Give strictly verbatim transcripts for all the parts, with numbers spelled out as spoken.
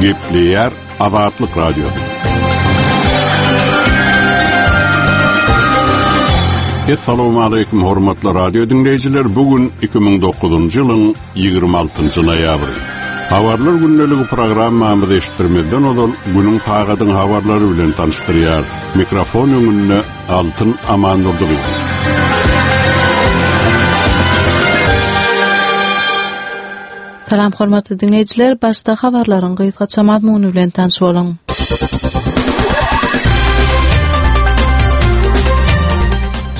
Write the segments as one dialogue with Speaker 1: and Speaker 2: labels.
Speaker 1: Gepleýär Azatlyk Radiosy. Essalamu aleýkum hormatly radio diňleýjiler. Bu gün iki müň dokuzynjy ýylyň ýigrimi altynjy noýabry. Habarlar gündeligi programmamyzy eşitdirmezden ozal günüň sagadyň habarlary bilen tanyşdyrýar. Mikrofon öňünde Altyn Amandurdyýew.
Speaker 2: Salam hormatly dinleýjiler, başda habarlaryň gysgaça mazmuny bilen tanyş boluň.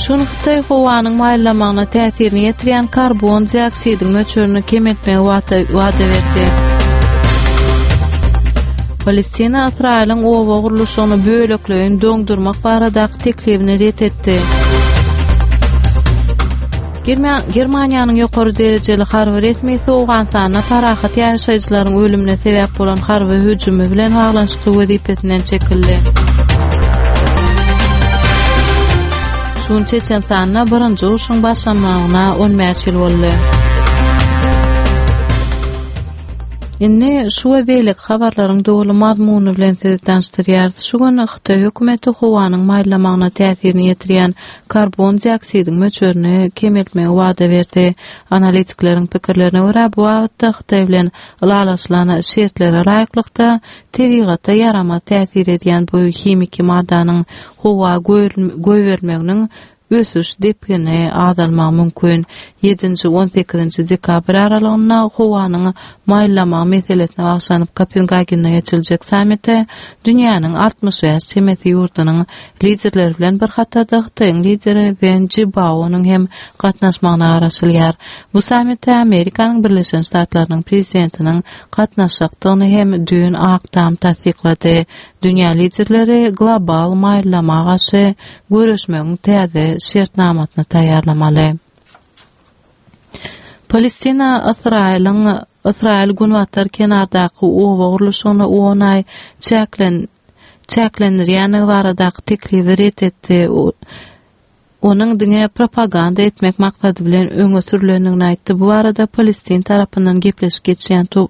Speaker 2: Şun Hytaý howanyň maýyllamagyna täsirini ýetirýän karbon dioksidiň möçberini kemeltmegi wada berdi. Palestina Ysraýylyň oba gurluşygyny bölekleýin doňdurmak baradaky teklibini ret etdi. Germaniýanyň ýokary derejeli harby resmisi Owganystanda parahat ýaşaýjylaryň ölümine sebäp bolan harby hüjümi bilen baglanyşykly wezipesinden çekildi. Şun Çeçenistanda birinji urşuň başlanmagyna on bäş ýyl boldy. Indi şu we beýleki habarlaryň doly mazmuny bilen sizi tanyşdyrýarys. Şu gün Hytaý hökümeti howanyň maýyllamagyna täsirini ýetirýän karbon dioksidiň möçberini kemeltmegi wada berdi. Analitikleriň pikirlerine görä, bu babatda Hytaý bilen ylalaşylan şertlere laýyklykda tebigata ýaramaz täsir edýän bu himiki maddanyň howa goýberilmeginiň ösüş depgini azalmagy mümkin. Ýedinji, on sekizinji dekabr aralygynda howanyň maýyllamagy meselesine bagyşlanyp Kopengagende geçiriljek sammite dünýäniň altmyş bäş çemesi ýurdunyň liderleri bilen bir hatarda Hytaýyň lideri Wen Jibaonyň hem gatnaşmagyna garaşylýar. Bu sammite Amerikanyň Birleşen Ştatlarynyň prezidentiniň gatnaşjakdygyny hem düýn Ak Tam tassyklady. Dünýä liderleri global maýyllama garşy göreşmegiň täze şertnamasyny taýýarlamaly. Palestina Ysraýylyň Ysraýyl günbatar kenardaky oba gurluşygyny on aý çäklen-, çäklendirýändigi baradaky teklibi ret etdi. Onuň diňe propaganda etmek maksady bilen öňe sürülendigini aýtdy. Bu barada Palestin tarapyndan gepleşik geçýän to-,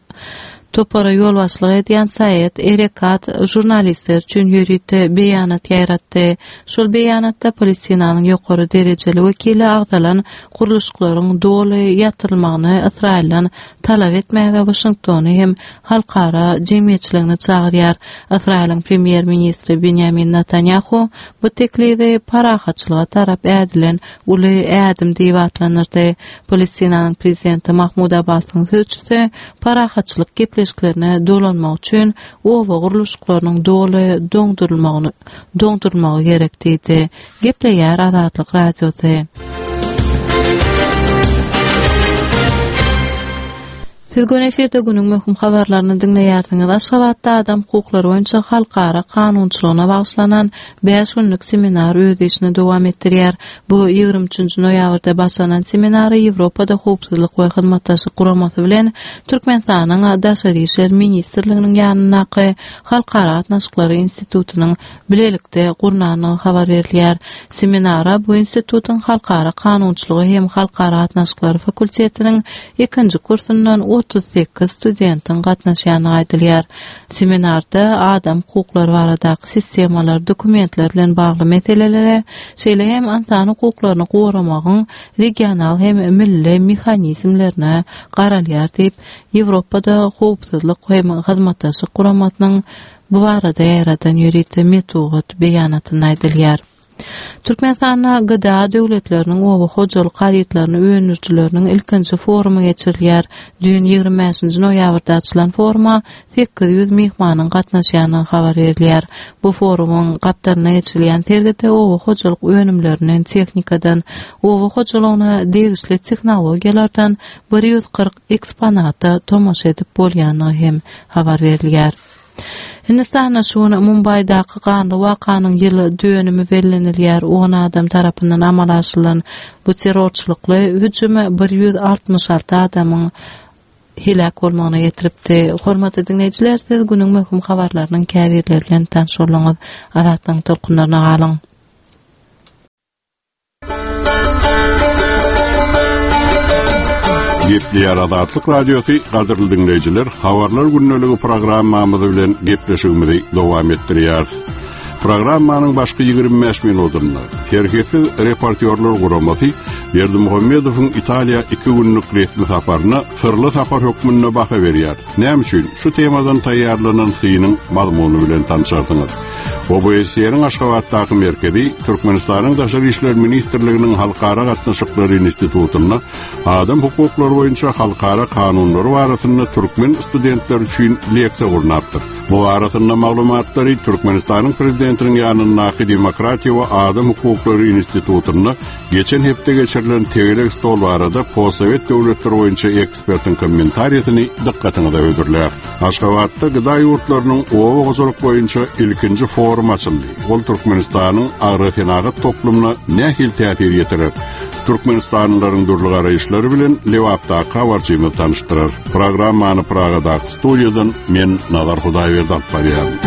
Speaker 2: topara ýolbaşçylyk edýän Said Erekat žurnalistler üçin ýörite beýanat ýaýratdy. Şol beýanatda Palestinanyň ýokary derejeli wekili agzalan gurluşyklaryň doly ýatyrylmagyny Ysraýyldan talap etmäge Waşingtony hem halkara jemgyýetçiligini çagyrýar. Ysraýylyň premýer-ministri Benjamin Netanyahu bu teklibi parahatçylyga tarap ädilen uly ädim diýip atlandyrdy. Palestinanyň prezidenti Mahmud Abbasyň sözçüsi parahatçylyk gepleşiklerine dolanmak üçin oba gurluşyklarynyň doly doňdurylmagyny, doňdurylmagy gerek diýdi. Gepleýär Azatlyk Radiosy. Siz gün efirde günüň möhüm habarlaryny diňleýärsiňiz. Aşgabatda adam hukuklary boýunça halkara kanunçylygyna bagyşlanan bäş günlük seminar öz işini dowam etdirýär. Bu ýigrimi üçünji noýabrda başlanan seminary Ýewropada Howpsuzlyk we Hyzmatdaşlyk Guramasy bilen Türkmenistanyň Daşary işler ministrliginiň ýanyndaky Halkara gatnaşyklary institutynyň bilelikde gurnandygy habar berilýär. Seminara bu institutyň Halkara kanunçylygy hem Halkara gatnaşyklary fakultetiniň ikinji kursundan otuz sekiz studentiň gatnaşýandygy aýdylýar. Seminarda adam hukuklary baradaky sistemalar, dokumentler bilen bagly meselelere, şeýle hem ynsan hukuklaryny goramagyň regional hem milli mehanizmlerine garalýar diýip, Ýewropada Howpsuzlyk hem Hyzmatdaşlyk Guramasynyň bu barada ýaýradan ýörite metbugat beýanatynda aýdylýar. Türkmenistanda G D A döwletleriniň oba hojalyk harytlaryny öndürijileriniň ilkinji forumy geçirilýär. Düýn ýigrimi bäşinji noýabrda açylan foruma sekiz ýüz myhmanyň gatnaşýandygy habar berilýär. Bu forumyň gapdalynda geçirilýän sergide oba hojalyk önümlerinden, tehnikadan, oba hojalygyna degişli tehnologiýalardan bir ýüz kyrk eksponata tomaşa edip bolýandygy hem habar berilýär. Hindistanda şu gün Mumbaýdaky ganly wakanyň ýyly dönümi bellenilýär. On adam tarapyndan amala aşyrylan bu terrorçylykly hüjüme bir ýüz altmyş alty adamyň heläk bolmagyna getiripdi. Hormatly dinleýjiler, siz günüň möhüm habarlarynyň käbirleri bilen tanyş bolduňyz. Azatlygyň tolkunlaryna galyň.
Speaker 1: Gepleýär Azatlyk Radiosy gadyrly dinleýjiler, habarlar gündeligi programmamyz bilen gepleşigimizi dowam etdirýär. Programmanyň başky ýigrimi bäş minutynda Serhetsiz reportýorlar guramasy Berdimuhamedowyň Italiýa iki günlük resmi saparyna syrly sapar hökmünde baha berýär. Näme üçin şu temadan taýýarlanan synyň mazmuny bilen tanışarsyňyz? O B S E-niň Aşgabatdaky merkezi Türkmenistanyň Daşary İşler Ministrliginiň Halkara Gatnaşyklary Institutynda adam hukuklary boýunça halkara kanunlary barasynda türkmen studentler üçin leksiýa gurnapdyr. Bu arasynda maglumatlary Türkmenistanyň Prezidentiniň ýanyndaky Demokratiýa we Adam Hukuklary Institutynda geçen hepde geçirilen tegelek stol barada postsowet döwletleri boýunça ekspertiň kommentariýasyny dykgatyňyza hödürlär. Aşgabatda gıda ýurtlarynyň oba hojalyk boýunça ilkinji forum açyldy. Ol Türkmenistanyň agrosenagat toplumyna nähili täsir ýetirer? Türkmenistanlylaryň dürli garaýyşlary bilen Lebapdaky habarçymyz tanyşdyrar. Programmany Pragadaky studiýadan men Nazar Hudaýberdi alyp barýaryn.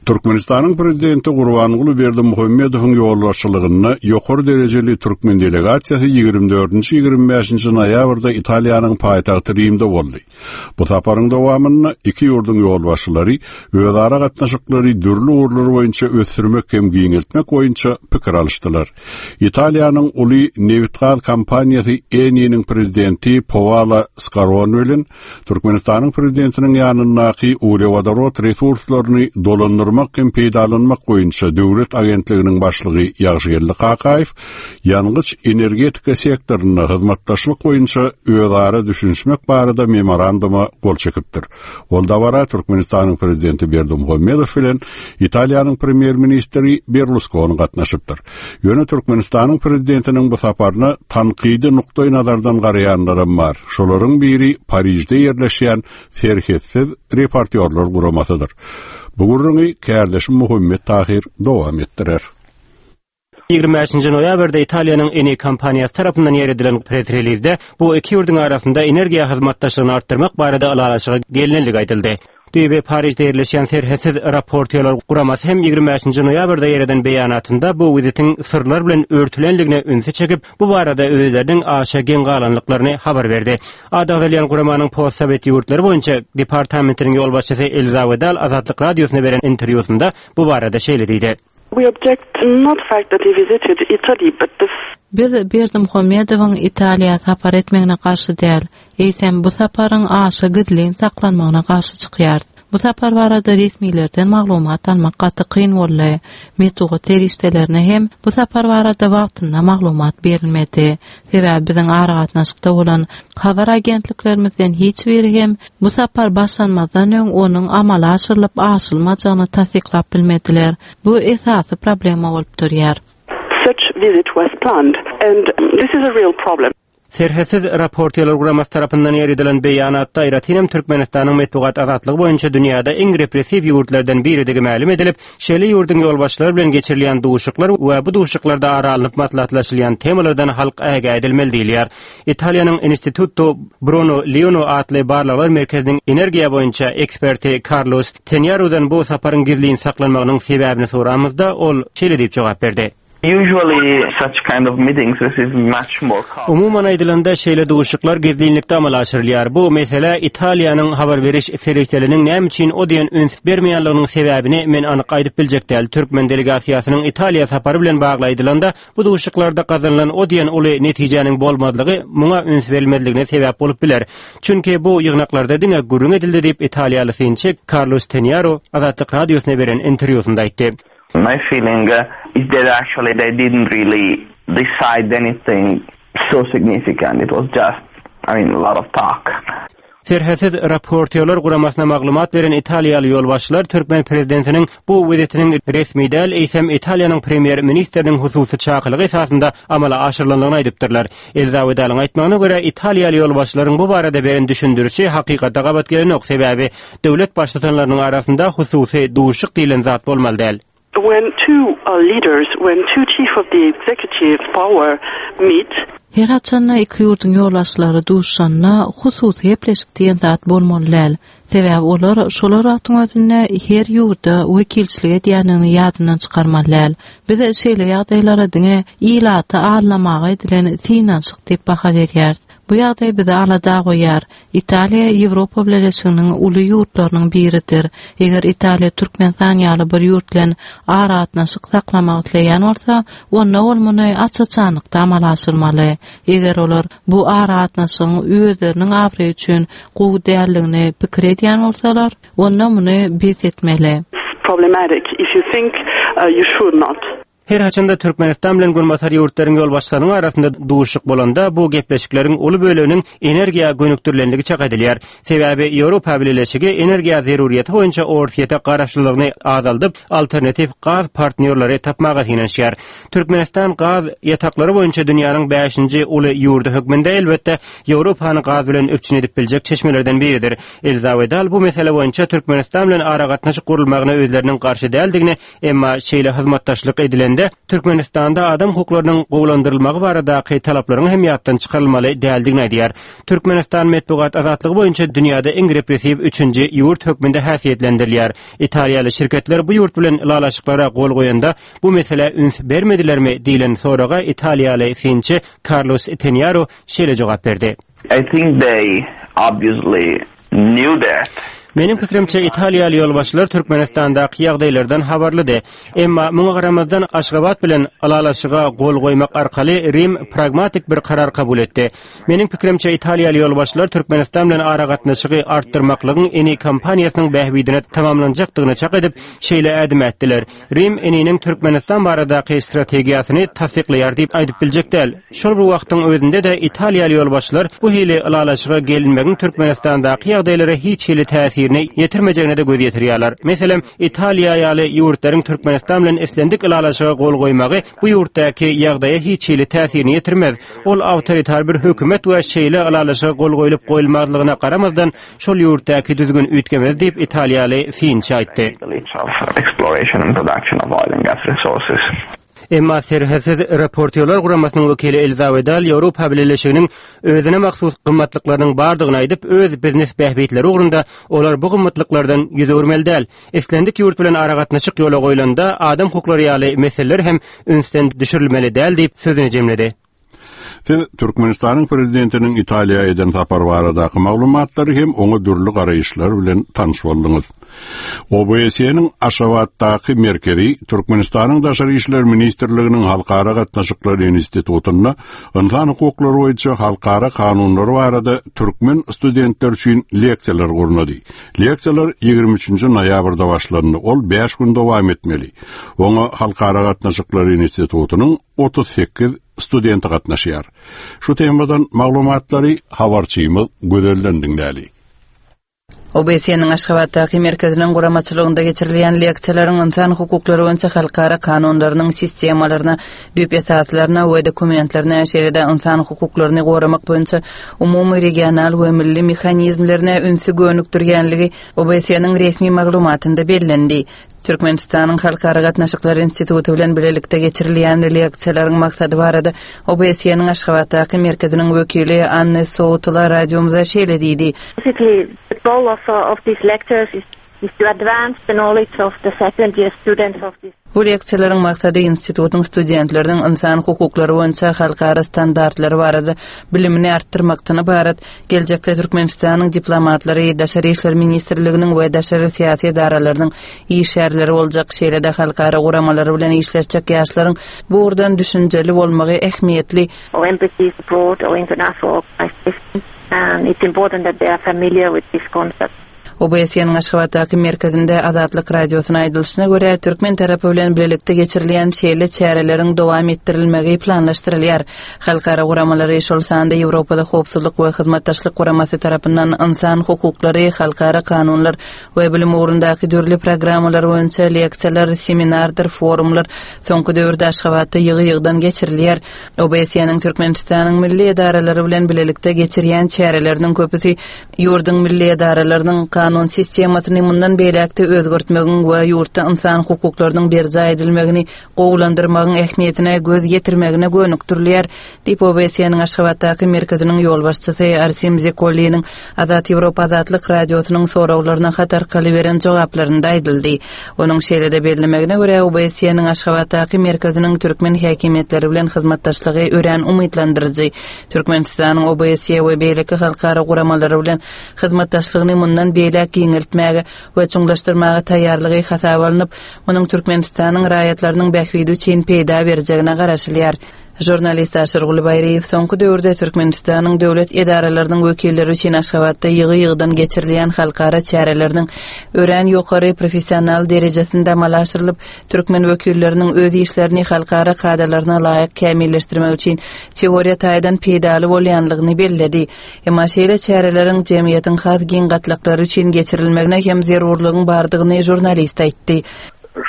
Speaker 1: Türkmenistanyň prezidenti Gurbanguly Berdimuhamedowyň ýolbaşçylygynda ýokary derejeli türkmen delegasiýasy ýigrimi dördünji ýigrimi bäşinji noýabrda Italiýanyň paýtagty Rimde boldy. Bu saparyň dowamynda iki ýurduň ýolbaşçylary özara gatnaşyklary dürli ugurlar boýunça ösdürmek hem giňeltmek boýunça pikir alyşdylar. Italiýanyň uly nebit-gaz kompaniýasy Eni-niň prezidenti Paolo Scaroni bilen Türkmenistanyň prezidentiniň ýanyndaky uglewodorod resurslaryny dolandyrmak hem peýdalanmak boýunça döwlet agentliginiň başlygy Ýagşygeldi Kakaýew ýangyç energetika sektorynda hyzmatdaşlyk boýunça özara düşünişmek barada memoranduma gol çekipdir. Ol dabara Türkmenistanyň prezidenti Berdimuhamedow bilen Italiýanyň premýer-ministri Berlusconi gatnaşypdyr. Ýöne Türkmenistanyň prezidentiniň bu saparyna tankydy nukdaý nazardan garaýanlaram bar. Şolaryň biri Parižde ýerleşýän Serhetsiz reportýorlar guramasydyr. Bu gürrüňi kärdeşim Muhammet Tahir dowam etdirer.
Speaker 3: Ýigrimi bäşinji noýabrda Italiýanyň Eni kompaniýasy tarapyndan ýer edilen press-relizde bu iki ýurduň arasynda energiýa hyzmatdaşlygyny artdyrmak barada ylalaşyga gelinenligi aýdyldy. Düýbi Parižde ýerleşýän Serhetsiz reportýorlar guramasy hem ýigrimi bäşinji noýabrda ýer eden beýanatynda bu wizitiň syrlar bilen örtülenligine ünsi çekip, bu barada özleriniň aşa geň galanlyklaryny habar berdi. Ady agzalýan guramanyň postsowet ýurtlary boýunça departamentiniň ýolbaşçysy Elza Wedal Azatlyk Radiosyna beren interwýusynda bu barada şeýle diýdi.
Speaker 4: We object not fact that he visited Italy, but the
Speaker 2: Biz Berdimuhamedowyň Italiýa sapar etmegine garşy däl, eýsem bu saparyň aşa gizlin saklanmagyna garşy çykýarys. Bu sapar barada resmilerden maglumat almak gaty kyn boldy. Metbugat serişdelerine hem bu sapar barada wagtynda maglumat berilmedi. Sebäbi biziň aragatnaşykda bolan habar agentliklerimizden hiç biri hem bu sapar başlanmazdan öň onuň amala aşyrylyp aşylmajagyny tassyklap bilmediler. Bu esasy problema bolup durýar.
Speaker 4: Such visit was planned and this is a real problem.
Speaker 3: Serhetsiz reportýorlar guramasy tarapyndan ýer edilen beýanatda aýratynam Türkmenistanyň metbugat azatlygy boýunça dünýäde iň repressiw ýurtlardan biridigi mälim edilip, şeýle ýurduň ýolbaşçylary bilen geçirilýän duşuşyklar we bu duşuşyklarda ara alnyp maslahatlaşylýan temalardan halk ägä edilmeli diýilýär. Italiýanyň Instituto Bruno Leoni atly barlaglar merkeziniň energiýa boýunça eksperti Carlos Tenyarudan bu saparyň gizlin saklanmagynyň sebäbini soramyzda ol şeýle diýip jogap berdi.
Speaker 5: Usually such kind of meetings receive much more coverage.
Speaker 3: Umuman aýdylanda şeýle duşuşyklar gizlinlikde amala aşyrylýar. Bu mesele Italiýanyň habar beriş serişdeleriniň näme üçin o diýen üns bermeýänliginiň sebäbini men anyk aýdyp biljek däl. Türkmen delegasiýasynyň Italiýa sapary bilen bagly aýdylanda bu duşuşyklarda gazanylan o diýen uly netijäniň bolmazlygy muňa üns berilmezligine sebäp bolup biler. Çünki bu ýygnaklarda diňe gürrüň edildi diýip Italiýaly synçy Carlos Tenyaru Azatlyk Radiosyna beren interwýusynda aýtdy.
Speaker 5: My feeling is that actually they didn't really decide anything so significant. It was just, I mean, a lot of talk.
Speaker 3: Serhetsiz reportýorlar guramasyna maglumat beren Italiýaly ýolbaşçylar Türkmen prezidentiniň bu wizitiniň resmi däl, eýsem Italiýanyň premýer-ministriniň hususy çakylygy esasynda amala aşyrylandygyny aýdypdyrlar. Elza Wedalyň aýtmagyna görä Italiýaly ýolbaşçylaryň bu barada beren düşündirişi hakykata gabat gelenok, sebäbi döwlet baştutanlarynyň arasynda hususy duşuşyk diýlen zat bolmaly däl.
Speaker 4: When two, uh, leaders, when two chief of the executive power meet,
Speaker 2: Her haçanda iki ýurduň ýolbaşçylary duşanda hususy gepleşik diýen zat bolmaly däl. Sebäbi olar şolar wagtyň özünde her ýurda wekilçilik edýänini ýadyndan çykarmaly däl. Biz şeýle ýagdaýlara diňe ilaty aldamaga edilen synanyşyk diýip baha berýäris. Bu ýagdaý bizi alada goýýar. Italiýa Ýewropa Bileleşiginiň uly ýurtlarynyň biridir. Eger Italiýa Türkmenistan ýaly bir ýurt bilen aragatnaşyk saklamak isleýän bolsa, onda ol muny aç-açanlykda amala aşyrmaly. Eger olar bu aragatnaşygyň özleriniň abraýy üçin gowy däldigini pikir edýän bolsalar, onda muny bes etmeli.
Speaker 4: It's problematic if you think uh, you should not.
Speaker 3: Her haçanda Türkmenistan bilen Günbatar ýurtlaryň ýolbaşçylarynyň arasynda duşuşyk bolanda bu gepleşikleriň uly böleginiň energiýa gönükdirilenligi çak edilýär. Sebäbi Ýewropa Bileleşigi energiýa zeruriyeti boýunça Orsýete garaşlylygyny azaldyp, alternatiw gaz partnýorlary tapmaga synanyşýar. Türkmenistan gaz ýataklary boýunça dünýäniň bäşinji uly ýurdy hökmünde elbetde Ýewropany gaz bilen üpjün edip biljek çeşmelerden biridir. Elza Wedal bu mesele boýunça Türkmenistan bilen aragatnaşyk gurulmagyna özleriniň garşy däldigini, emma şeýle hyzmatdaşlyk edilende Türkmenistanda adam hukuklarynyň gowulandyrylmagy baradaky talaplaryň hem ýatdan çykarylmaly däldigini aýdýar. Türkmenistan metbugat azatlygy boýunça dünýäde iň repressiw üçünji ýurt hökmünde häsiýetlendirilýär. Italiýaly şirketler bu ýurt bilen ylalaşyklara gol goýanda bu mesele üns bermedilermi diýlen soraga Italiýaly synçy Carlos Tenjaro şeýle jogap berdi.
Speaker 5: I think they obviously knew that.
Speaker 3: Meniň pikrimçe Italiýaly ýolbaşçylar Türkmenistandaky ýagdaýlardan habarlydy. Emma muňa garamazdan Aşgabat bilen ylalaşyga gol goýmak arkaly Rim pragmatik bir karar kabul etdi. Meniň pikrimçe Italiýaly ýolbaşçylar Türkmenistan bilen aragatnaşygy artdyrmaklygyň Eni kompaniýasynyň bähbidine tamamlanjakdygyny çak edip, şeýle ädim ätdiler. Rim Eniniň Türkmenistan baradaky strategiýasyny tassyklaýar diýip aýdyp biljek däl. Şol bir wagtyň özünde-de Italiýaly ýolbaşçylar bu hili ylalaşyga gelinmegiň Türkmenistandaky ýagdaýlara hiç hili täsirini ýetirmejegine de göz ýetirýärler. Meselem, Italiýa ýaly ýurtlaryň Türkmenistan bilen islendik ylalaşyga gol goýmagy bu ýurtdaky ýagdaýa hiç hili täsirini ýetirmez. Ol awtoritar bir hökümet we şeýle ylalaşyga gol goýlup goýulmazlygyna garamazdan şol ýurtdaky düzgün üýtgemez diýip Italiýaly synçy aýtdy.
Speaker 5: Of exploration and production of oil and gas resources.
Speaker 3: Emma Serhetsiz Reportýorlar guramasynyň wekili Elza Wedal Ýewropa Bileleşiginiň özüne mahsus gymmatlyklarynyň bardygyny aýdyp, öz biznes bähbitleri ugrunda olar bu gymmatlyklardan ýüz öwürmeli däl. Islendik ýurt bilen aragatnaşyk ýola goýlanda adam hukuklary ýaly meseleler hem ünsden düşürilmeli däl diýip sözüni jemledi.
Speaker 1: Siz Türkmenistanyň prezidentiniň Italiýa eden sapary baradaky maglumatlary hem oňa dürli garaýyşlar bilen tanyş bolduňyz. O B S E-niň Aşgabatdaky merkezi Türkmenistanyň Daşary işler ministrliginiň Halkara gatnaşyklary institutynda ynsan hukuklary boýunça halkara kanunlary barada türkmen studentler üçin leksiýalar gurnady. Leksiýalar ýigrimi üçünji noýabrda başlandy. Ol bäş gün dowam etmeli. Oňa Halkara gatnaşyklary institutynyň otuz sekiz studenti gatnaşýar. Şu temadan maglumatlary habarçymyz Gözelden diňläli.
Speaker 6: O B S E-niň Aşgabatdaky merkeziniň guramaçylygynda geçirilýän leksiýalaryň ynsan hukuklary boýunça halkara kanunlarynyň sistemalaryna, düýp esaslaryna we dokumentlerine, şeýle-de ynsan hukuklaryny goramak boýunça umumy regional we milli mehanizmlerine ünsi gönükdirýänligi O B S E-niň resmi maglumatynda bellendi. Türkmenistanyň Halkara gatnaşyklary instituty bilen birlikde geçirilýän leksiýalaryň maksady barada O B S E-niň Aşgabatdaky merkeziniň wekili Anne Soutula radiomyza şeýle diýdi.
Speaker 7: Basically, the goal of, uh, of these lectures is, is to advance the knowledge of the second year students of this
Speaker 6: Bu leksiýalaryň maksady institutyň studentleriniň ynsan hukuklary boýunça halkara standartlary barada bilimini artdyrmakdan ybarat. Geljekde Türkmenistanyň diplomatlary, Daşary işler ministrliginiň we daşary syýasy edaralarynyň işgärleri boljak, şeýle-de halkara guramalary bilen işleşjek ýaşlaryň bu ugurdan düşünjeli bolmagy ähmiýetli.
Speaker 7: Or embassies abroad or international organizations. And it's important that they are familiar with this concept.
Speaker 6: O B S E-niň Aşgabatdaky merkezinde Azatlyk radiosyna aýdylyşyna görä, türkmen tarapy bilen birlikde geçirilýän şeýle çäreleriň dowam etdirilmegi planlaşdyrylýar. Halkara guramalary, şol sanda Ýewropada Howpsuzlyk we Hyzmatdaşlyk Guramasy tarapyndan ynsan hukuklary, halkara kanunlar we bilim ugrundaky dürli programmalar boýunça leksiýalar, seminardyr forumlar soňky döwürde Aşgabatda ýygy-ýygydan geçirilýär. O B S E-niň Türkmenistanyň milli edaralary bilen birlikde geçirýän çäreleriniň köpüsi ýurduň milli edaralarynyň Kanun sistemasyny mundan beýläkde özgertmegiň we ýurtda insan hukuklarynyň berjaý edilmegini gowulandyrmagyň ähmiýetine göz ýetirmegine gönükdirilýär diýip O B S E-niň Aşgabatdaky merkeziniň ýolbaşçysy Arsim Zekolliniň Azat Ýewropa Azatlyk Radiosynyň soraglaryna hat arkaly beren jogaplarynda aýdyldy. Onuň şeýle-de bellemegine görä, O B S E-niň Aşgabatdaky merkeziniň türkmen häkimiýetleri bilen hyzmatdaşlygy örän umytlandyryjy. Türkmenistanyň O B S E we beýleki halkara guramalary bilen hyzmatdaşlygyny mundan beýläk giňeltmäge we çuňlaşdyrmaga taýýarlygy hasaba alnyp, munuň Türkmenistanyň raýatlarynyň bähbidi üçin peýda berjegine garaşylýar. Žurnalist Aşyrguly Baýryýew soňky döwürde Türkmenistanyň döwlet edaralarynyň wekilleri üçin Aşgabatda ýygy-ýygydan geçirilýän halkara çäreleriniň örän ýokary professional derejesinde amala aşyrylyp, türkmen wekilleriniň öz işlerini halkara kadalaryna laýyk kämilleşdirmek üçin teoriýa taýdan peýdaly bolýanlygyny belledi. Emma şeýle çäreleriň jemgyýetiň has giň gatlaklary üçin geçirilmegine hem zerurlygyň bardygyny žurnalist aýtdy.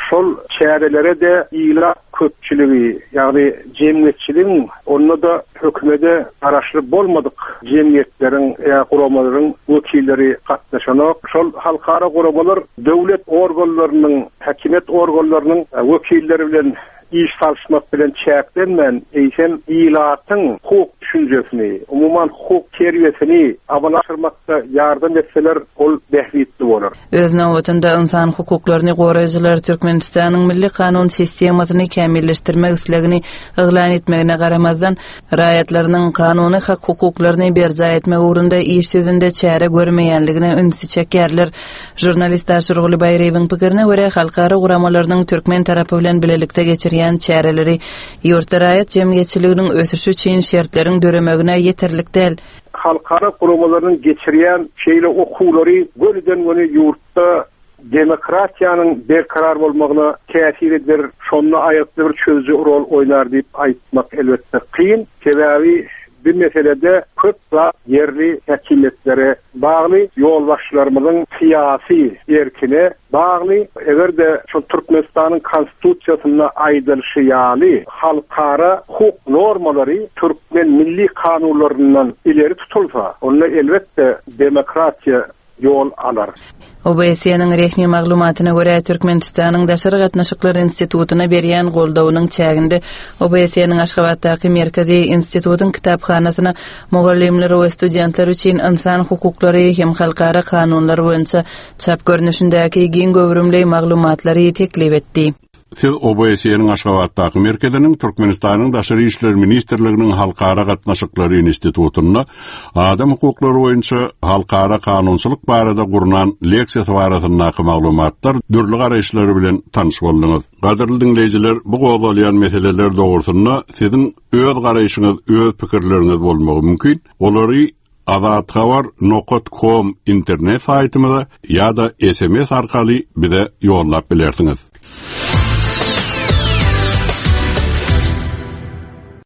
Speaker 8: Şol çärelere de ilat köpçüligi, ýagny jemgyýetçiligiň, onda da hökümete garaşly bolmadyk jemgyýetleriň ýa guramalaryň wekilleri gatnaşanok. Şol halkara guramalar döwlet organlarynyň, häkimiýet organlarynyň wekilleri bilen iş salyşmak bilen çäklenmän, eýsem ilatyň hukuk düşünjesini, umuman hukuk terbiýesini amala aşyrmakda ýardam etseler, ol bähbitli bolar.
Speaker 6: Öz nobatynda insan hukuklaryny goraýjylar Türkmenistanyň milli kanun sistemasyny kämilleşdirmek islegini yglan etmegine garamazdan, raýatlarynyň kanuny hak hukuklaryny berjaý etmek ugrunda iş ýüzünde çäre görmeýänligine ünsi çekýärler. Žurnalist Aşyrguly Baýryýewiň pikirine görä, halkara guramalarynyň türkmen tarapy bilen bilelikde geçirýän çäreleri ýurtda raýat jemgyýetçiliginiň ösüşi üçin şertleriň döremegine ýeterlik däl.
Speaker 8: Halkara guramalarynyň geçirýän şeýle okuwlary gönüden-göni ýurtda demokratiýanyň berkarar bolmagyna täsir eder, şonda aýgytly bir çözüji rol oýnar diýip aýtmak elbetde kyn. Sebäbi bir meselede köp zat ýerli häkimiýetlere bagly, ýolbaşçylarymyzyň syýasy erkine bagly. Eger-de şu Türkmenistanyň konstitusiýasynda aýdylyşy ýaly halkara hukuk normalary türkmen milli kanunlaryndan ileri tutulsa, onda elbetde demokratiýa ýol alar.
Speaker 6: O B S E-niň resmi maglumatyna görä, Türkmenistanyň Daşary gatnaşyklar institutyna berýän goldawynyň çäginde O B S E-niň Aşgabatdaky merkezi institutyň kitaphanasyna mugallymlar we studentler üçin insan hukuklary hem halkara kanunlar boýunça çap görnüşindäki giň göwrümli maglumatlary teklip etdi.
Speaker 1: Siz O B S E-niň Aşgabatdaky merkeziniň Türkmenistanyň Daşary işler ministrliginiň Halkara gatnaşyklary institutynda adam hukuklary boýunça halkara kanunçylyk barada gurnan leksiýasy barasyndaky maglumatlar dürli garaýyşlary bilen tanyş bolduňyz. Gadyrly diňleýjiler, bu gozgalýan meseleler dogrusynda siziň öz garaýşyňyz, öz pikirleriňiz bolmagy mümkin. Olary azathabar nokta com internet saýtymyza ýa-da S M S arkaly bize ýollap bilersiňiz.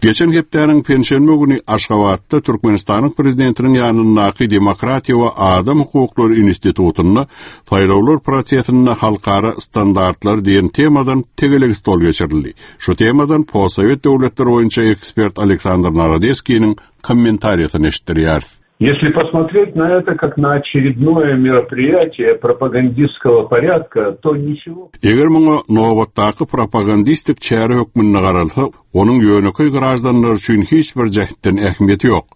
Speaker 1: Geçen hepdäniň penşenbe güni Aşgabatda Türkmenistanyň prezidentiniň ýanyndaky Demokratiýa we adam hukuklary institutynda saýlawlar prosesinde halkara standartlar diýen temadan tegelek stol geçirildi. Şu temadan postsowet döwletler boýunça ekspert Aleksandr Narodeskiniň kommentariýasyny eşitdirýäris.
Speaker 9: Если посмотреть на это как на очередное мероприятие пропагандистского порядка, то ничего.
Speaker 1: Eger muňa nobatdaky propagandistik çäre hökmünde garalsa, onuň ýönekeý graždanlar üçin hiç bir jähtden ähmiýeti ýok.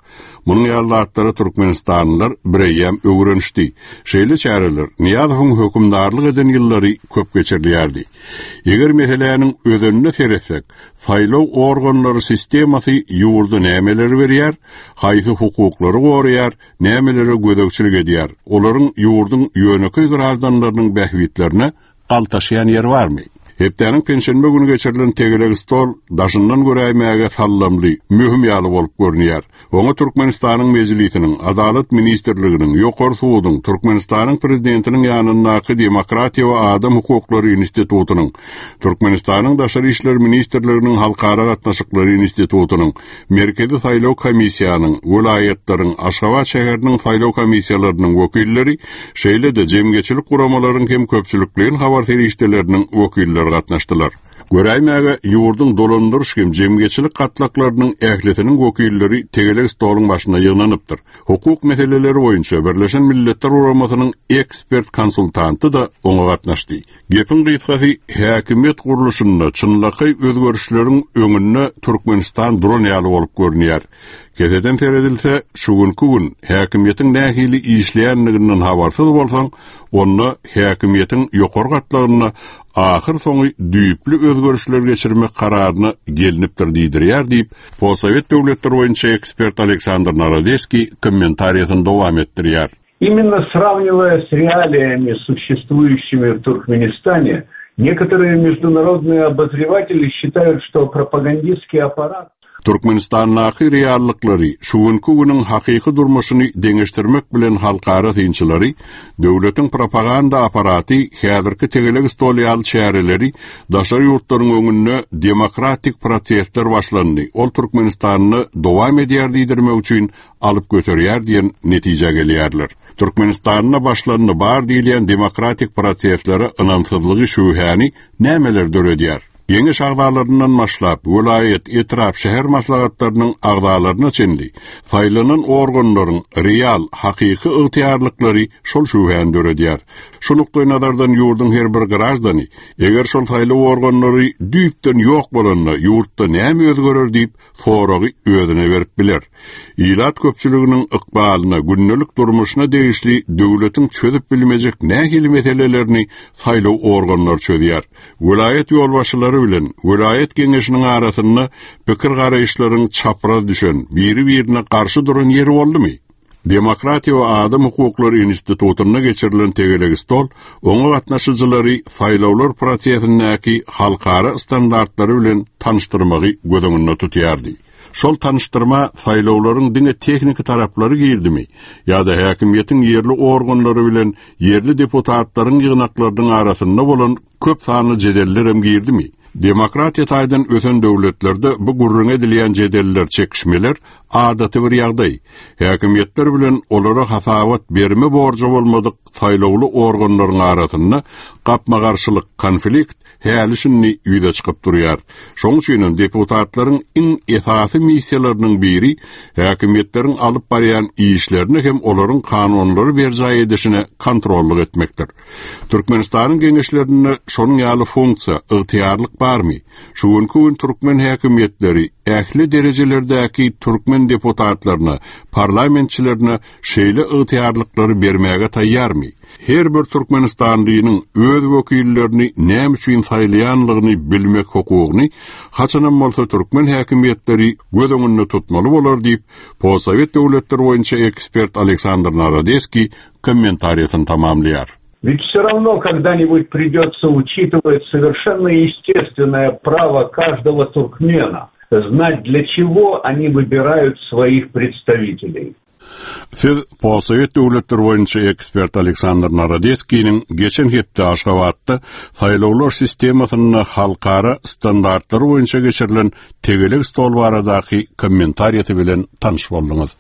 Speaker 1: Munuň ýaly Türkmenistanlylar bireýem öwrenişdi. Şeýle çäreler Niýazowyň hökümdarlyk eden ýyllary köp geçirilýärdi. Eger meseläniň özenine seretsek, saýlaw organlary sistemasy ýurda nämeleri berýär, haýsy hukuklary goraýar, nämelere gözegçilik edýär. Olaryň ýurduň ýönekeý graždanlarynyň bähbitlerine galtaşýan ýeri barmy? Hepdäniň penşenbe günü geçirilen tegelek stol daşyndan göräýmäge sallamly, möhüm ýaly bolup görünýär. Oňa Türkmenistanyň Mejlisiniň, Adalat ministrliginiň, Ýokary suduň, Türkmenistanyň prezidentiniň ýanyndaky Demokratiýa we adam hukuklary institutynyň, Türkmenistanyň Daşary işler ministrliginiň Halkara gatnaşyklary institutynyň, Merkezi saýlaw komissiýanyň, welaýatlaryň, Aşgabat şäheriniň saýlaw komissiýalarynyň wekilleri, şeýle-de jemgyýetçilik guramalaryň hem köpçülikleýin habar serişdeleriniň wekilleri gatnaşdylar. Göräýmäge ýurduň dolandyryş hem jemgyýetçilik gatlaklarynyň ählisiniň wekilleri tegelek stoluň başyna ýygnanypdyr. Hukuk meseleleri boýunça Birleşen Milletler Guramasynyň ekspert konsultanty da oňa gatnaşdy. Gepiň gysgasy häkimiýet gurluşynda çynlakaý özgerişleriň öňünde Türkmenistan duran ýaly bolup görünýär. Keseden seredilse, şu günki gün häkimiýetiň nähili işleýänliginden habarsyz bolsaň, onda häkimiýetiň ýokary gatlagynda ahyr soňy düýpli özgerişler geçirmek kararyna gelinipdir diýdirýär diýip, Postsowet döwletleri boýunça ekspert Aleksandr Narodeskiý kommentariýasyny dowam etdirýär.
Speaker 9: Именно сравнивая с реалиями, существующими в Туркменистане, некоторые международные обозреватели считают, что пропагандистский аппарат
Speaker 1: Türkmenistandaky reallyklary şu günki günüň hakyky durmuşyny deňeşdirmek bilen halkara synçylary döwletiň propaganda aparaty häzirki tegelek stol ýaly çäreleri daşary ýurtlaryň öňünde demokratik prosesler başlandy. Ol Türkmenistanda dowam edýär diýdirmek üçin alyp göterýär diýen netijä gelýärler. Türkmenistanda başlandy bar diýilýän demokratik proseslere ynamsyzlygy şübhäni nämeler döredýär? Geňeş agzalaryndan başlap, welaýat, etrap, şäher maslahatlarynyň agzalaryna çenli saýlanan organlaryň real, hakyky ygtyýarlyklary şol şübhäni döredýär. Şu nukdaý nazardan ýurduň her bir graždany, eger şol saýlaw organlary düýpden ýok bolanda ýurtda näme özgerer diýip soragy özüne berip biler. Ilat köpçüliginiň ykbalyna, gündelik durmuşyna degişli döwletiň çözüp bilmejek nähili meselelerini saýlaw organlary çözýär. Welaýat ýolbaşçylary bilen welaýat geňeşiniň arasynda pikir garaýyşlaryň çapraz düşen, biri-birine garşy duran ýeri boldumy? Demokratiýa we Adam Hukuklary Institutynda geçirilen tegelek stol oňa gatnaşyjylary saýlawlar prosesindäki halkara standartlary bilen tanyşdyrmagy göz öňünde tutýardy. Şol tanyşdyrma saýlawlaryň diňe tehniki taraplary girdimi ýa-da häkimiýetiň ýerli organlary bilen ýerli deputatlaryň ýygnaklarynyň arasynda bolan köp sanly jedeller hem girdimi? Demokratiýa taýdan ösen döwletlerde bu gürrüň edilýän jedeller, çekişmeler adaty bir ýagdaý. Häkimiýetler bilen olara hasabat berme borjy bolmadyk saýlawly organlaryň arasynda gapma-garşylyk, konflikt häli şindi ýüze çykyp durýar. Şonuň üçin hem deputatlaryň iň esasy missiýalarynyň biri häkimiýetleriň alyp barýan işlerini hem olaryň kanunlary berjaý edişine kontrollyk etmekdir. Türkmenistanyň geňeşlerinde şonuň ýaly funksiýa, ygtyýarlyk barmy? Şu günki gün türkmen häkimiýetleri ähli derejelerdäki türkmen deputatlaryna, parlamentçilerine şeýle ygtyýarlyklary bermäge taýýarmy? Her bir Türkmenistanlynyň öz wekillerini näme üçin saýlaýanlygyny bilmek hukugyny haçanam bolsa türkmen häkimiýetleri göz öňünde tutmaly bolar diýip, Postsowet döwletleri boýunça ekspert Aleksandr Narodeskiý kommentariýasyny tamamlaýar.
Speaker 9: Ведь все равно когда-нибудь придется учитывать совершенно естественное право каждого туркмена знать, для чего они выбирают своих представителей.
Speaker 1: Siz Postsowet döwletleri boýunça ekspert Aleksandr Narodeskiniň geçen hepde Aşgabatda saýlawlar sistemasynda halkara standartlary boýunça geçirilen tegelek stol baradaky kommentariýasy bilen tanyş bolduňyz.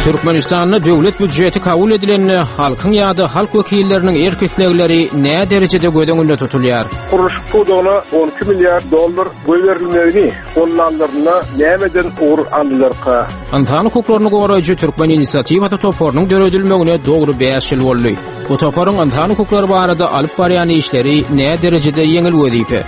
Speaker 10: Türkmenistanda döwlet býudjeti kabul edilende halkyň ýa-da halk wekilleriniň erk islegleri nä derejede göz öňünde tutulýar?
Speaker 8: Gurluşyk pudagyna on iki milliard dollar goýberilmegini gollanlaryna nämeden ugur aldylarka?
Speaker 10: Ynsan hukuklaryny goraýjy Türkmen inisiatiwasy toparynyň döredilmegine dogry bäş ýyl boldy. Bu toparyň ynsan hukuklary barada alyp barýan işleri nä derejede ýeňil wezipe?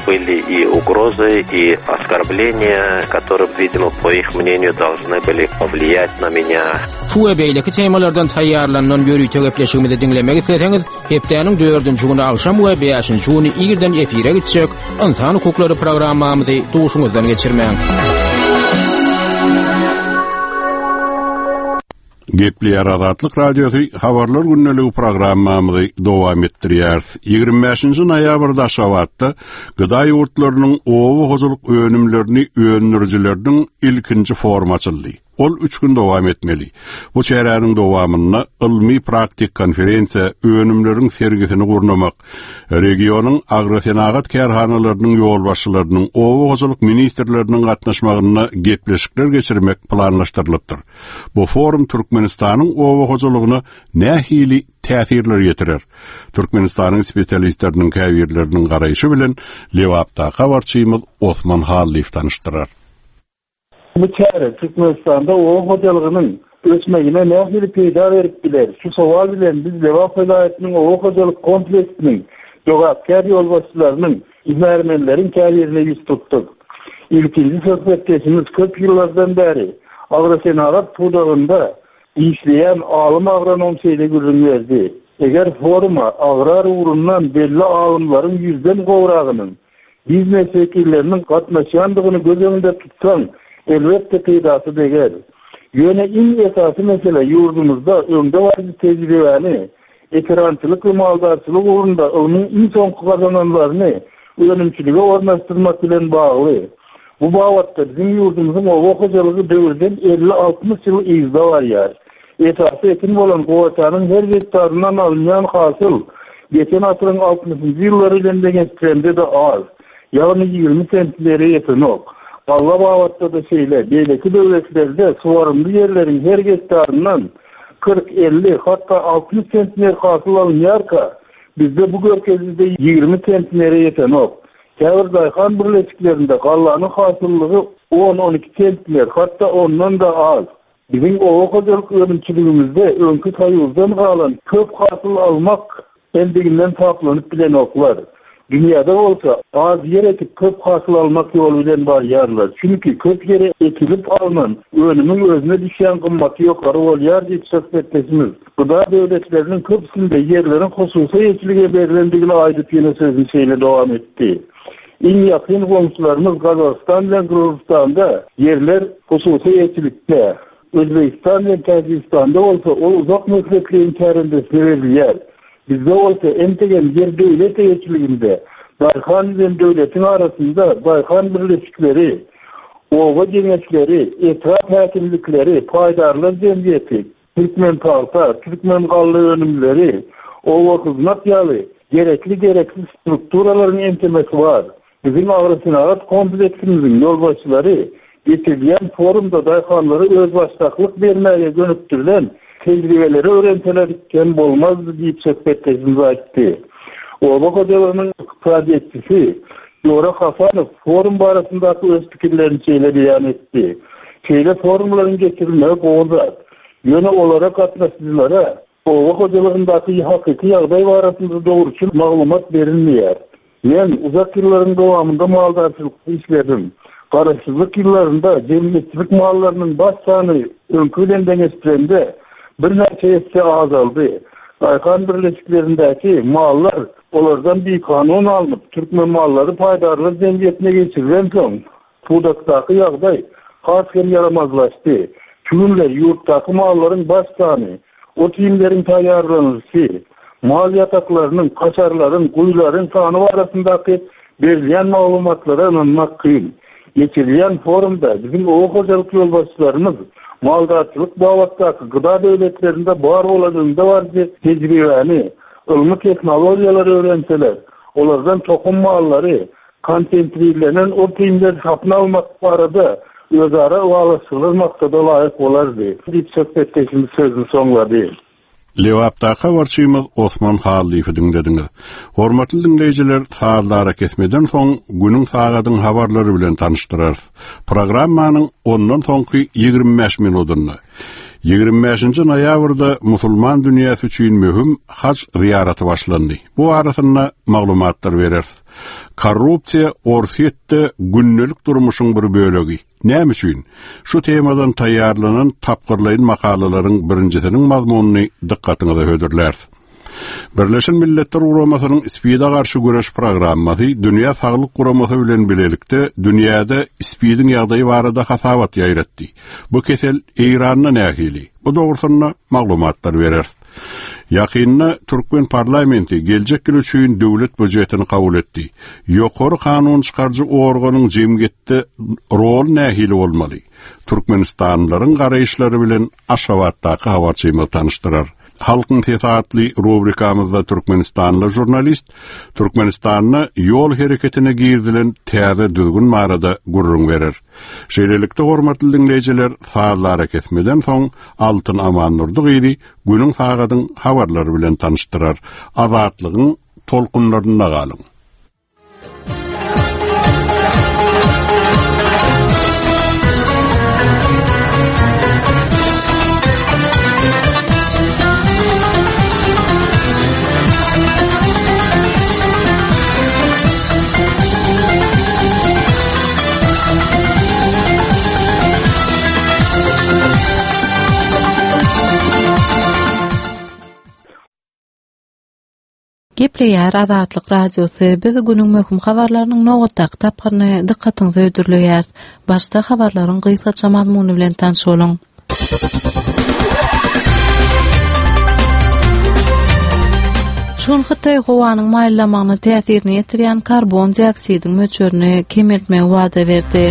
Speaker 11: Были и угрозы, и оскорбления, которые, видимо, по их мнению, должны были повлиять на меня.
Speaker 10: Şu we beýleki temalardan taýýarlanan ýörite gepleşigimizi diňlemek isleseňiz, hepdäniň dördünji güni agşam we bäşinji güni irden efire gitjek Ynsan hukuklary programmamyzy duşuňyzdan geçirmäň.
Speaker 1: Gepleýär Azatlyk Radiosy habarlar gündeligi programmamyzy dowam etdirýär. Ýigrimi bäşinji noýabrda Aşgabatda gıda ýurtlarynyň oba hojalyk önümlerini öndürijileriniň ilkinji forumy açyldy. Ol üç gün dowam etmeli. Bu çäräniň dowamynda ylmy praktik konferensiýa, önümleriň sergisini gurnamak, regionyň agrosenagat kärhanalarynyň ýolbaşçylarynyň, oba hojalyk ministrleriniň gatnaşmagynda gepleşikler geçirmek planlaşdyrylypdyr. Bu forum Türkmenistanyň oba hojalygyna nähili täsirler getirer? Türkmenistanyň spesialistleriniň käbirleriniň garaýşy bilen Lebapdaky habarçymyz Osman Hallyýew tanyşdyrar.
Speaker 12: Bu çäre Türkmenistanda oba hojalygynyň ösmegine nähili peýda berip biler? Şu sowal bilen biz Lebap welaýatynyň oba hojalyk kompleksiniň jogapkär ýolbaşçylarynyň, hünärmenleriň käbirine ýüz tutduk. Ilkinji söhbetdeşimiz köp ýyllardan bäri agrosenagat pudagynda işleýän alym agronom şeýle gürrüň berdi. Eger foruma agrar ugrundan belli alymlaryň ýüzden gowragynyň biznes wekilleriniň gatnaşýandygyny göz öňünde tutsaň, elbetde peýdasy deger. Ýöne iň esasy mesele ýurdumyzda öňdebaryjy tejribäni, ekerançylyk we maldarçylyk ugrunda ylmyň iň soňky gazananlaryny önümçilige ornaşdyrmak bilen bagly. Bu babatda biziň ýurdumyzyň oba hojalygy döwürden elli-altmyş ýyl yzda barýar. Esasy ekin bolan gowaçanyň her gektaryndan alynýan hasyl geçen asyryň altmyşynjy ýyllary bilen deňeşdirende-de az. Ýagny ýigrimi sentlere ýetenok. Galla babatda-da şeýle, beýleki döwletlerde suwarymly ýerleriň her gektaryndan kyrk, elli, hatda altmyş sentner hasyl alynýarka, bizde bu görkezijide ýigrimi sentnere ýetenok. Käbir daýhan birleşiklerinde gallanyň hasyllygy on-on iki sentner, hatda ondan-da az. Biziň oba hojalyk önümçiligimizde öňki Soýuzdan galan köp hasyl almak endiginden saplanyp bilenoklar. Dünýäde bolsa az ýer ekip köp hasyl almak ýoly bilen barýarlar. Çünki köp ýere ekilip alnan önümiň özüne düşýän gymmaty ýokary bolýar diýip söhbetdeşimiz Gıda döwletleriniň köpüsinde ýerleriň hususy eýeçilige berlendigini aýdyp ýene sözüni şeýle dowam etdi. Iň ýakyn goňşularymyz Gazagystan bilen Gyrgyzystanda ýerler hususy eýeçilikde, Özbegistan bilen Täjigistanda bolsa ol uzak möhletleýin kärendesine berilýär. Bizde bolsa entegem ýer döwlet eýeçiliginde, daýhan bilen döwletiň arasynda daýhan birleşikleri, oba geňeşleri, etrap häkimlikleri, paýdarlar jemgyýeti, Türkmen pagta, Türkmen galla önümleri, oba hyzmat ýaly gerekli-gereksiz strukturalaryň ençemesi bar. Biziň agrosenagat kompleksimiziň ýolbaşçylary geçirilýän forumda daýhanlara özbaşdaklyk bermäge gönükdirilen tejribeleri öwrenseler kem bolmazdy diýip söhbetdeşimiz aýtdy. Oba hojalygynyň ykdysadyýetçisi Jora Hasanow forum barasyndaky öz pikirlerini şeýle beýan etdi. Şeýle forumlaryň geçirilmegi gowy zat. Ýöne olara gatnaşyjylara oba hojalygyndaky hakyky ýagdaý barasynda dogruçyl maglumat berilmeýär. Men uzak ýyllaryň dowamynda maldarçylykda işledim. Garaşsyzlyk ýyllarynda jemgyýetçilik mallarynyň baş sany öňki bilen deňeşdirende birnäçe esse azaldy. Daýhan birleşiklerindäki mallar olardan bikanun alnyp, Türkmen mallary paýdarlar jemgyýetine geçirilensoň, pudakdaky ýagdaý has hem ýaramazlaşdy. Şu günler ýurtdaky mallaryň baş sany, ot-iýmleriň taýýarlanylyşy, mal ýataklarynyň, kaşarlaryň, guýularyň sany barasyndaky berilýän maglumatlara ynanmak kyn. Geçirilýän forumda biziň oba hojalyk ýolbaşçylarymyz maldarçylyk babatdaky gıda döwletlerinde bar bolan öňdebaryjy tejribäni, ylmy tehnologiýalary öwrenseler, olardan tohum mallary, konsentrirlenen ot-iýmleri satyn almak barada özara ylalaşyklar maksada laýyk bolardy, diýip söhbetdeşimiz sözüni soňlady.
Speaker 1: Lebapdaky habarçymyz Osman Hallyýewi diňlediňiz. Hormatly diňleýjiler, sazlara kesmeden soň günüň sagadyň habarlary bilen tanyşdyrarys. Programmanyň ondan soňky ýigrimi bäş minutynda ýigrimi bäşinji noýabrda musulman dünýäsi üçin möhüm haç zyýaraty başlandy. Bu arasynda maglumatlar bereris. Korrupsiýa Orsýetde gündelik durmuşyň bir bölegi. Näme üçin? Şu temadan taýýarlanan tapgyrlaýyn makalalaryň birinjisiniň mazmunyny dykgatyňyza hödürläris. Birleşen Milletler Guramasynyň SPID-e garşy göreş programmasy Dünýä Saglyk Guramasy bilen bilelikde dünýäde SPID-iň ýagdaýy barada hasabat ýaýratdy. Bu kesel Eýranda nähili? Bu dogrusynda maglumatlar bereris. Ýakynda Türkmen parlamenti geljek ýyl üçin döwlet býujetini kabul etdi. Ýokary kanun çykaryjy organyň jemgyýetde rol nähili bolmaly? Türkmenistanlylaryň garaýyşlary bilen Aşgabatdaky habarçymyz tanyşdyrar. Halkyň sesi atly rubrikamyzda Türkmenistanly žurnalist Türkmenistanda ýol hereketine girizilen täze düzgün barada gürrüň berer. Şeýlelikde hormatly dinleýjiler, sazlara kesmeden soň Altyn Amandurdy gyzy günüň sagadyň habarlary bilen tanyşdyrar. Azatlygyň tolkunlarynda galyň.
Speaker 2: Gepleýär Azatlyk Radiosy. Biz günüň möhüm habarlarynyň nobatdaky tapgyryny dykgatyňyza hödürleýäris. Başda habarlaryň gysgaça mazmuny bilen tanyş boluň. Şu gün Hytaý howanyň maýyllamagyna täsirini ýetirýän karbon dioksidiň möçberini kemeltmegi wada berdi.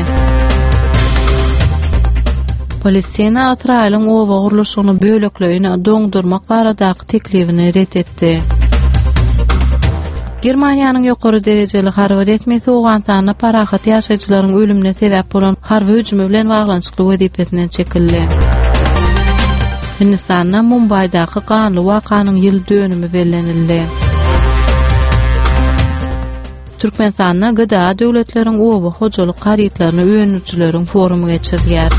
Speaker 2: Palestina Ysraýylyň oba gurluşygyny bölekleýin doňdurmak baradaky teklibini ret etdi. Germaniýanyň ýokary derejeli harby resmisi Owganystanda parahat ýaşaýjylaryň ölümine sebäp bolan harby hüjümi bilen baglanyşykly wezipesinden çekildi. Hindistanda Mumbaýdaky ganly wakanyň ýyl dönümi bellenildi. Türkmenistanda G D A döwletleriň oba hojalyk harytlaryny öndürijileriň forumy geçirilýär.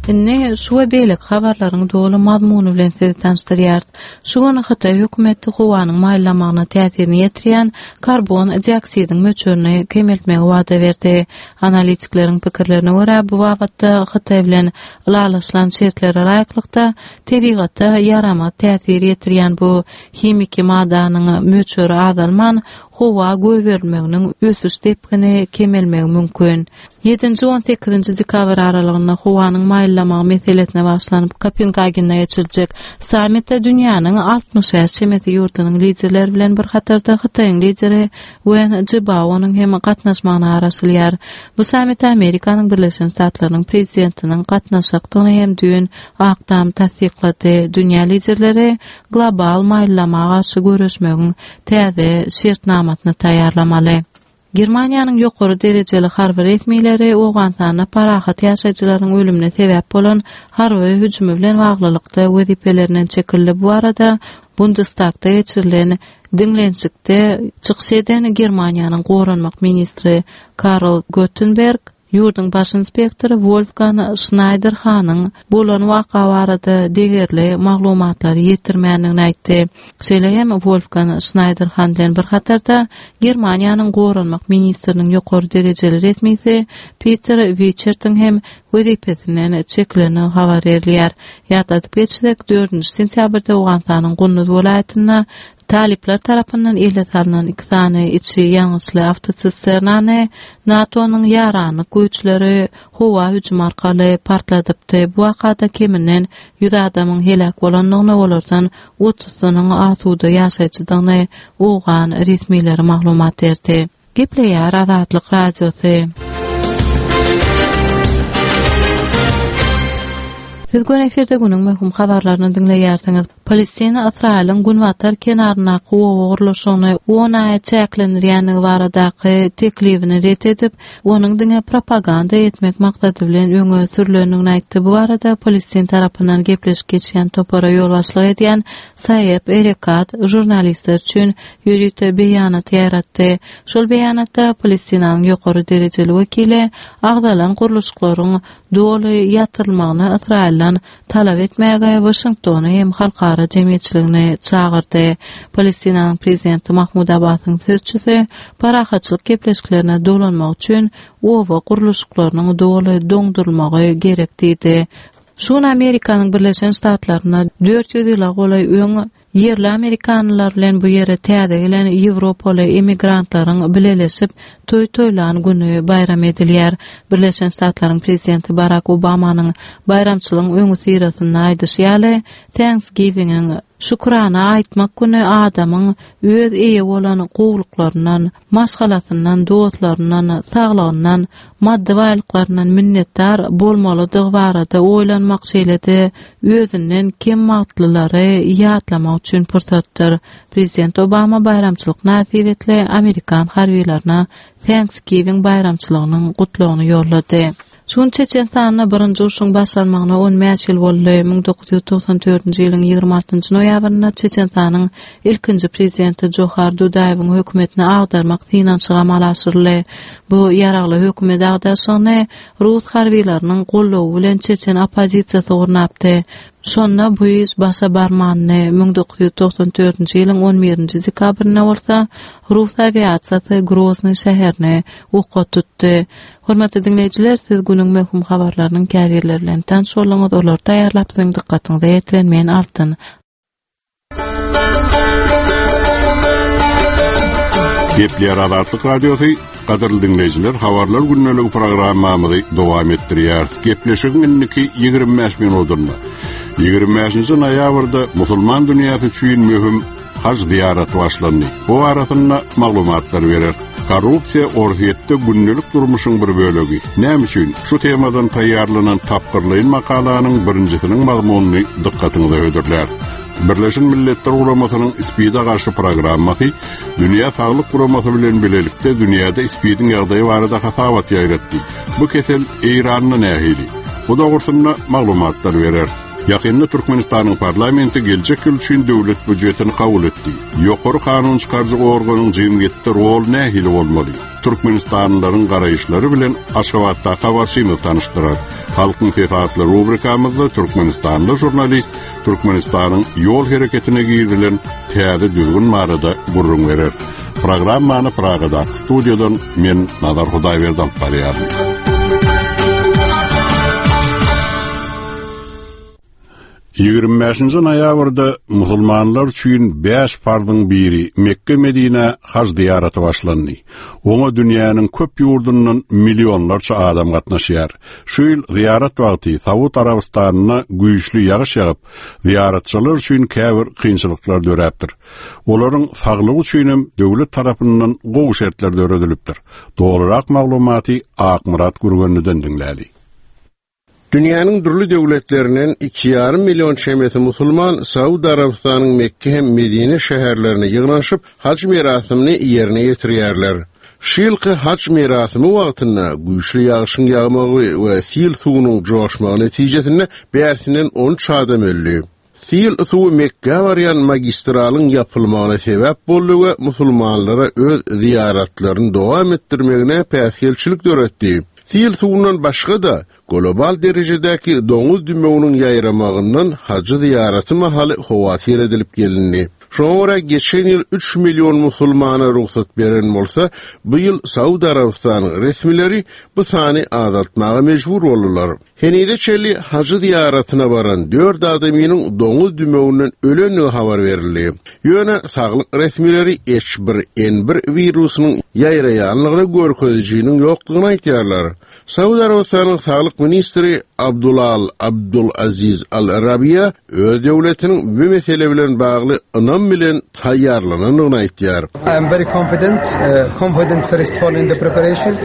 Speaker 2: Indi şu we beýleki habarlaryň doly mazmuny bilen sizi tanyşdyrýarys. Şu gün Hytaý hökümeti howanyň maýyllamagyna täsirini ýetirýän karbon dioksidiň möçberini kemeltmegi wada berdi. Analitikleriň pikirlerine görä, bu babatda Hytaý bilen ylalaşylan şertlere laýyklykda tebigata ýaramaz täsir ýetirýän bu himiki maddanyň möçberi azalman, howa goýberilmeginiň ösüş depgini kemelmegi mümkin. Ýedinji on sekizinji dekabr aralygynda howanyň maýyllamagy meselesine bagyşlanyp Kopengagende geçiriljek sammitde dünýäniň altmyş bäş çemesi ýurdunyň liderleri bilen bir hatarda Hytaýyň lideri Wen Jibaonyň hem gatnaşmagyna garaşylýar. Bu sammite Amerikanyň Birleşen Ştatlarynyň prezidentiniň gatnaşjakdygyny hem düýn Ak Tam tassyklady. Dünýä liderleri global maýyllama garşy göreşmegiň täze şertnamasyny taýýarlamaly. Germaniýanyň ýokary derejeli harby resmileri Owganystanda parahat ýaşaýjylaryň ölümine sebäp bolan harby hüjümi bilen baglylykda wezipelerinden çekildi. Bu barada Bundestagda geçirilen diňlenişikde çykyş eden Germaniýanyň goranmak ministri Karl Göttenberg ýurduň baş inspektory Wolfgang Schneiderhanyň bolan waka barada degerli maglumatlary ýetirmändigini aýtdy. Şeýle hem Wolfgang Schneiderhan bilen bir hatarda Germaniýanyň goranmak ministriniň ýokary derejeli resmisi Peter Wichertiň hem wezipesinden çekilendigi habar berilýär. Ýatladyp geçsek, dördünji sentýabrda Owganystanyň Gunduz welaýatynda Talipler tarapyndan ele salnan iki sany içi ýangyçly awtosisternany NATO-nyň ýaranlyk güýçleri howa hüjümi arkaly partladypdy. Bu wakada keminden ýüz adamyň heläk bolandygyny, olardan otuzysynyň asuda ýaşaýjydygyny owgan resmileri maglumat berdi. Gepleýär Azatlyk Radiosy. Siz göni efirde günüň möhüm habarlaryny diňleýärsiňiz. Palestina Ysraýylyň günbatar kenaryndaky oba gurluşygyny on aýa çäklendirýändigi baradaky teklibini ret edip, onuň diňe propaganda etmek maksady bilen öňe sürlendigini aýtdy. Bu barada Palestin tarapyndan gepleşik geçýän topara ýolbaşçylyk edýän Saýeb Erekat žurnalistler üçin ýörite beýanat ýaýratdy. Şol beýanatda Palestinanyň ýokary derejeli wekili agzalan gurluşyklaryň doly ýatyrylmagyny Ysraýyldan talap etmäge Waşingtony hem halkara jemgyýetçiligini çagyrdy. Palestinanyň prezidenti Mahmud Abbasyň sözçüsi parahatçylyk gepleşiklerine dolanmak üçin oba gurluşyklarynyň doly doňdurylmagy gerek diýdi. Şu gün Amerikanyň Birleşen Ştatlarynda dört ýüz ýyla golaý öň Ýerli amerikanlar bilen bu ýere täze gelen Ýewropaly emigrantlaryň bileleşip toý toýlan güni baýram edilýär. Birleşen Ştatlaryň prezidenti Barack Obamanyň baýramçylygyň öňüsyrasynda aýdyşy ýaly, Thanksgiving-iň şükrana aýtmak güni adamyň öz eýe bolan gowluklaryndan, maşgalasyndan, dostlaryndan, saglygyndan, maddy baýlyklaryndan minnetdar bolmalydygy barada oýlanmak şeýle-de özünden kem wagtlylary ýatlamak üçin pursatdyr. Prezident Obama baýramçylyk mynasybetli Amerikan harbylaryna Thanksgiving baýramçylygynyň gutlagyny ýollady. Şun Çeçenistanda birinji urşuň başlanmagyna on bäş ýyl boldy. müň dokuz ýüz togsan dördünji ýylyň ýigrimi altynjy noýabrynda Çeçenistanyň ilkinji prezidenti Johar Dudaýewiň hökümetini agdarmak synanyşygy amala aşyryldy. Bu ýaragly hökümet agdarşygyny Rus harbylarynyň goldawy bilen Çeçen oppozisiýasy gurnapdy. Şonda bu iş başa barmandy. müň dokuz ýüz togsan dördünji ýylyň on birinji dekabrynda bolsa Rus awiasiýasy Grozny şäherini oka tutdy. Hormatly dinleýjiler, siz günüň möhüm habarlarynyň käbirleri bilen tanyş bolduňyz. Olary taýýarlap siziň dykgatyňyza ýetiren men Altyn.
Speaker 1: Gepleýär Azatlyk Radiosy, gadyrly dinleýjiler, habarlar gündelik programmamyzy dowam etdirýär. Gepleşigiň indiki ýigrimi bäş minutynda ýigrimi bäşinji noýabrda musulman dünýäsi üçin möhüm haj ziýaraty başlandy. Bu arasynda maglumatlar berer. Korrupsiýa Orsýetde gündelik durmuşyň bir bölegi. Näme üçin? Şu temadan taýýarlanan tapgyrlaýyn makalanyň birinjisiniň mazmunyny dykgatyňyza hödürlär. Birleşen Milletler Guramasynyň SPID-e garşy programmasy Dünýä Saglyk Guramasy bilen birlikde dünýäde SPID-iň ýagdaýy barada hasabat ýaýratdy. Bu kesel Eýranda nähili? Bu dogrusynda maglumatlar berer. Ýakynda Türkmenistanyň parlamenti geljek ýyl üçin döwlet býujetini kabul etdi. Ýokary kanun çykaryjy organyň jemgyýetde rol nähili bolmaly? Türkmenistanlylaryň garaýyşlary bilen Aşgabatda habarçymyz tanyşdyrar. Halkyň sesi atly rubrikamyzda Türkmenistanly žurnalist Türkmenistanyň ýol hereketine girizilen täze düzgün barada gürrüň berer. Programmany Pragadaky studiýadan men Nazar Hudaýberdi alyp barýaryn. Ýigrimi bäşinji noýabrda musulmanlar üçin bäş farzyň biri Mekke Medine haj ziýaraty başlandy. Oňa dünýäniň köp ýurdundan millionlarça adam gatnaşýar. Şu ýyl ziýarat wagty Saud Arabystanyna güýçli ýagyş ýagyp, ziýaratçylar üçin käbir kynçylyklar döräpdir. Olaryň saglygy üçin hem döwlet tarapyndan gowy şertler döredilipdir. Dogrurak maglumaty Akmyrat Gürgenliden diňläli.
Speaker 13: Dünýäniň dürli döwletlerinden iki ýarym million çemesi musulman Saud Arabystanyň Mekke hem Medine şäherlerine ýygnanyşyp haj merasimini ýerine ýetirýärler. Şu ýylky haj merasimi wagtynda güýçli ýagşyň ýagmagy we sil suwunyň joşmagy netijesinde bärsinden on üç adam öldi. Sil suwy Mekge barýan magistralyň ýapylmagyna sebäp boldy we musulmanlara öz ziýaratlaryny dowam etdirmegine päsgelçilik döretdi. Sil suwundan başga da global derejedäki doňuz dümewiniň ýaýramagyndan hajy ziýaraty mahaly howatyr edilip gelindi. Şoňa görä geçen ýyl üç million musulmana rugsat beren bolsa, bu ýyl Saud Arabystanyň resmileri bu sany azaltmaga mejbur boldular. Henize çenli hajy ziýaratyna baran dört adamynyň doňuz dümewinden ölendigi habar berildi. Ýöne saglyk resmileri H bir N bir wirusynyň ýaýraýanlygyny görkezijiniň ýokdugyny aýtýarlar. Saud Arabystanyň saglyk ministri Abdulal Abdul Aziz Al-Rabiya öz döwletiniň bu mesele bilen bagly ynam bilen taýýarlanandygyny aýtýar.
Speaker 14: I am very confident, uh, confident first of all in the preparation,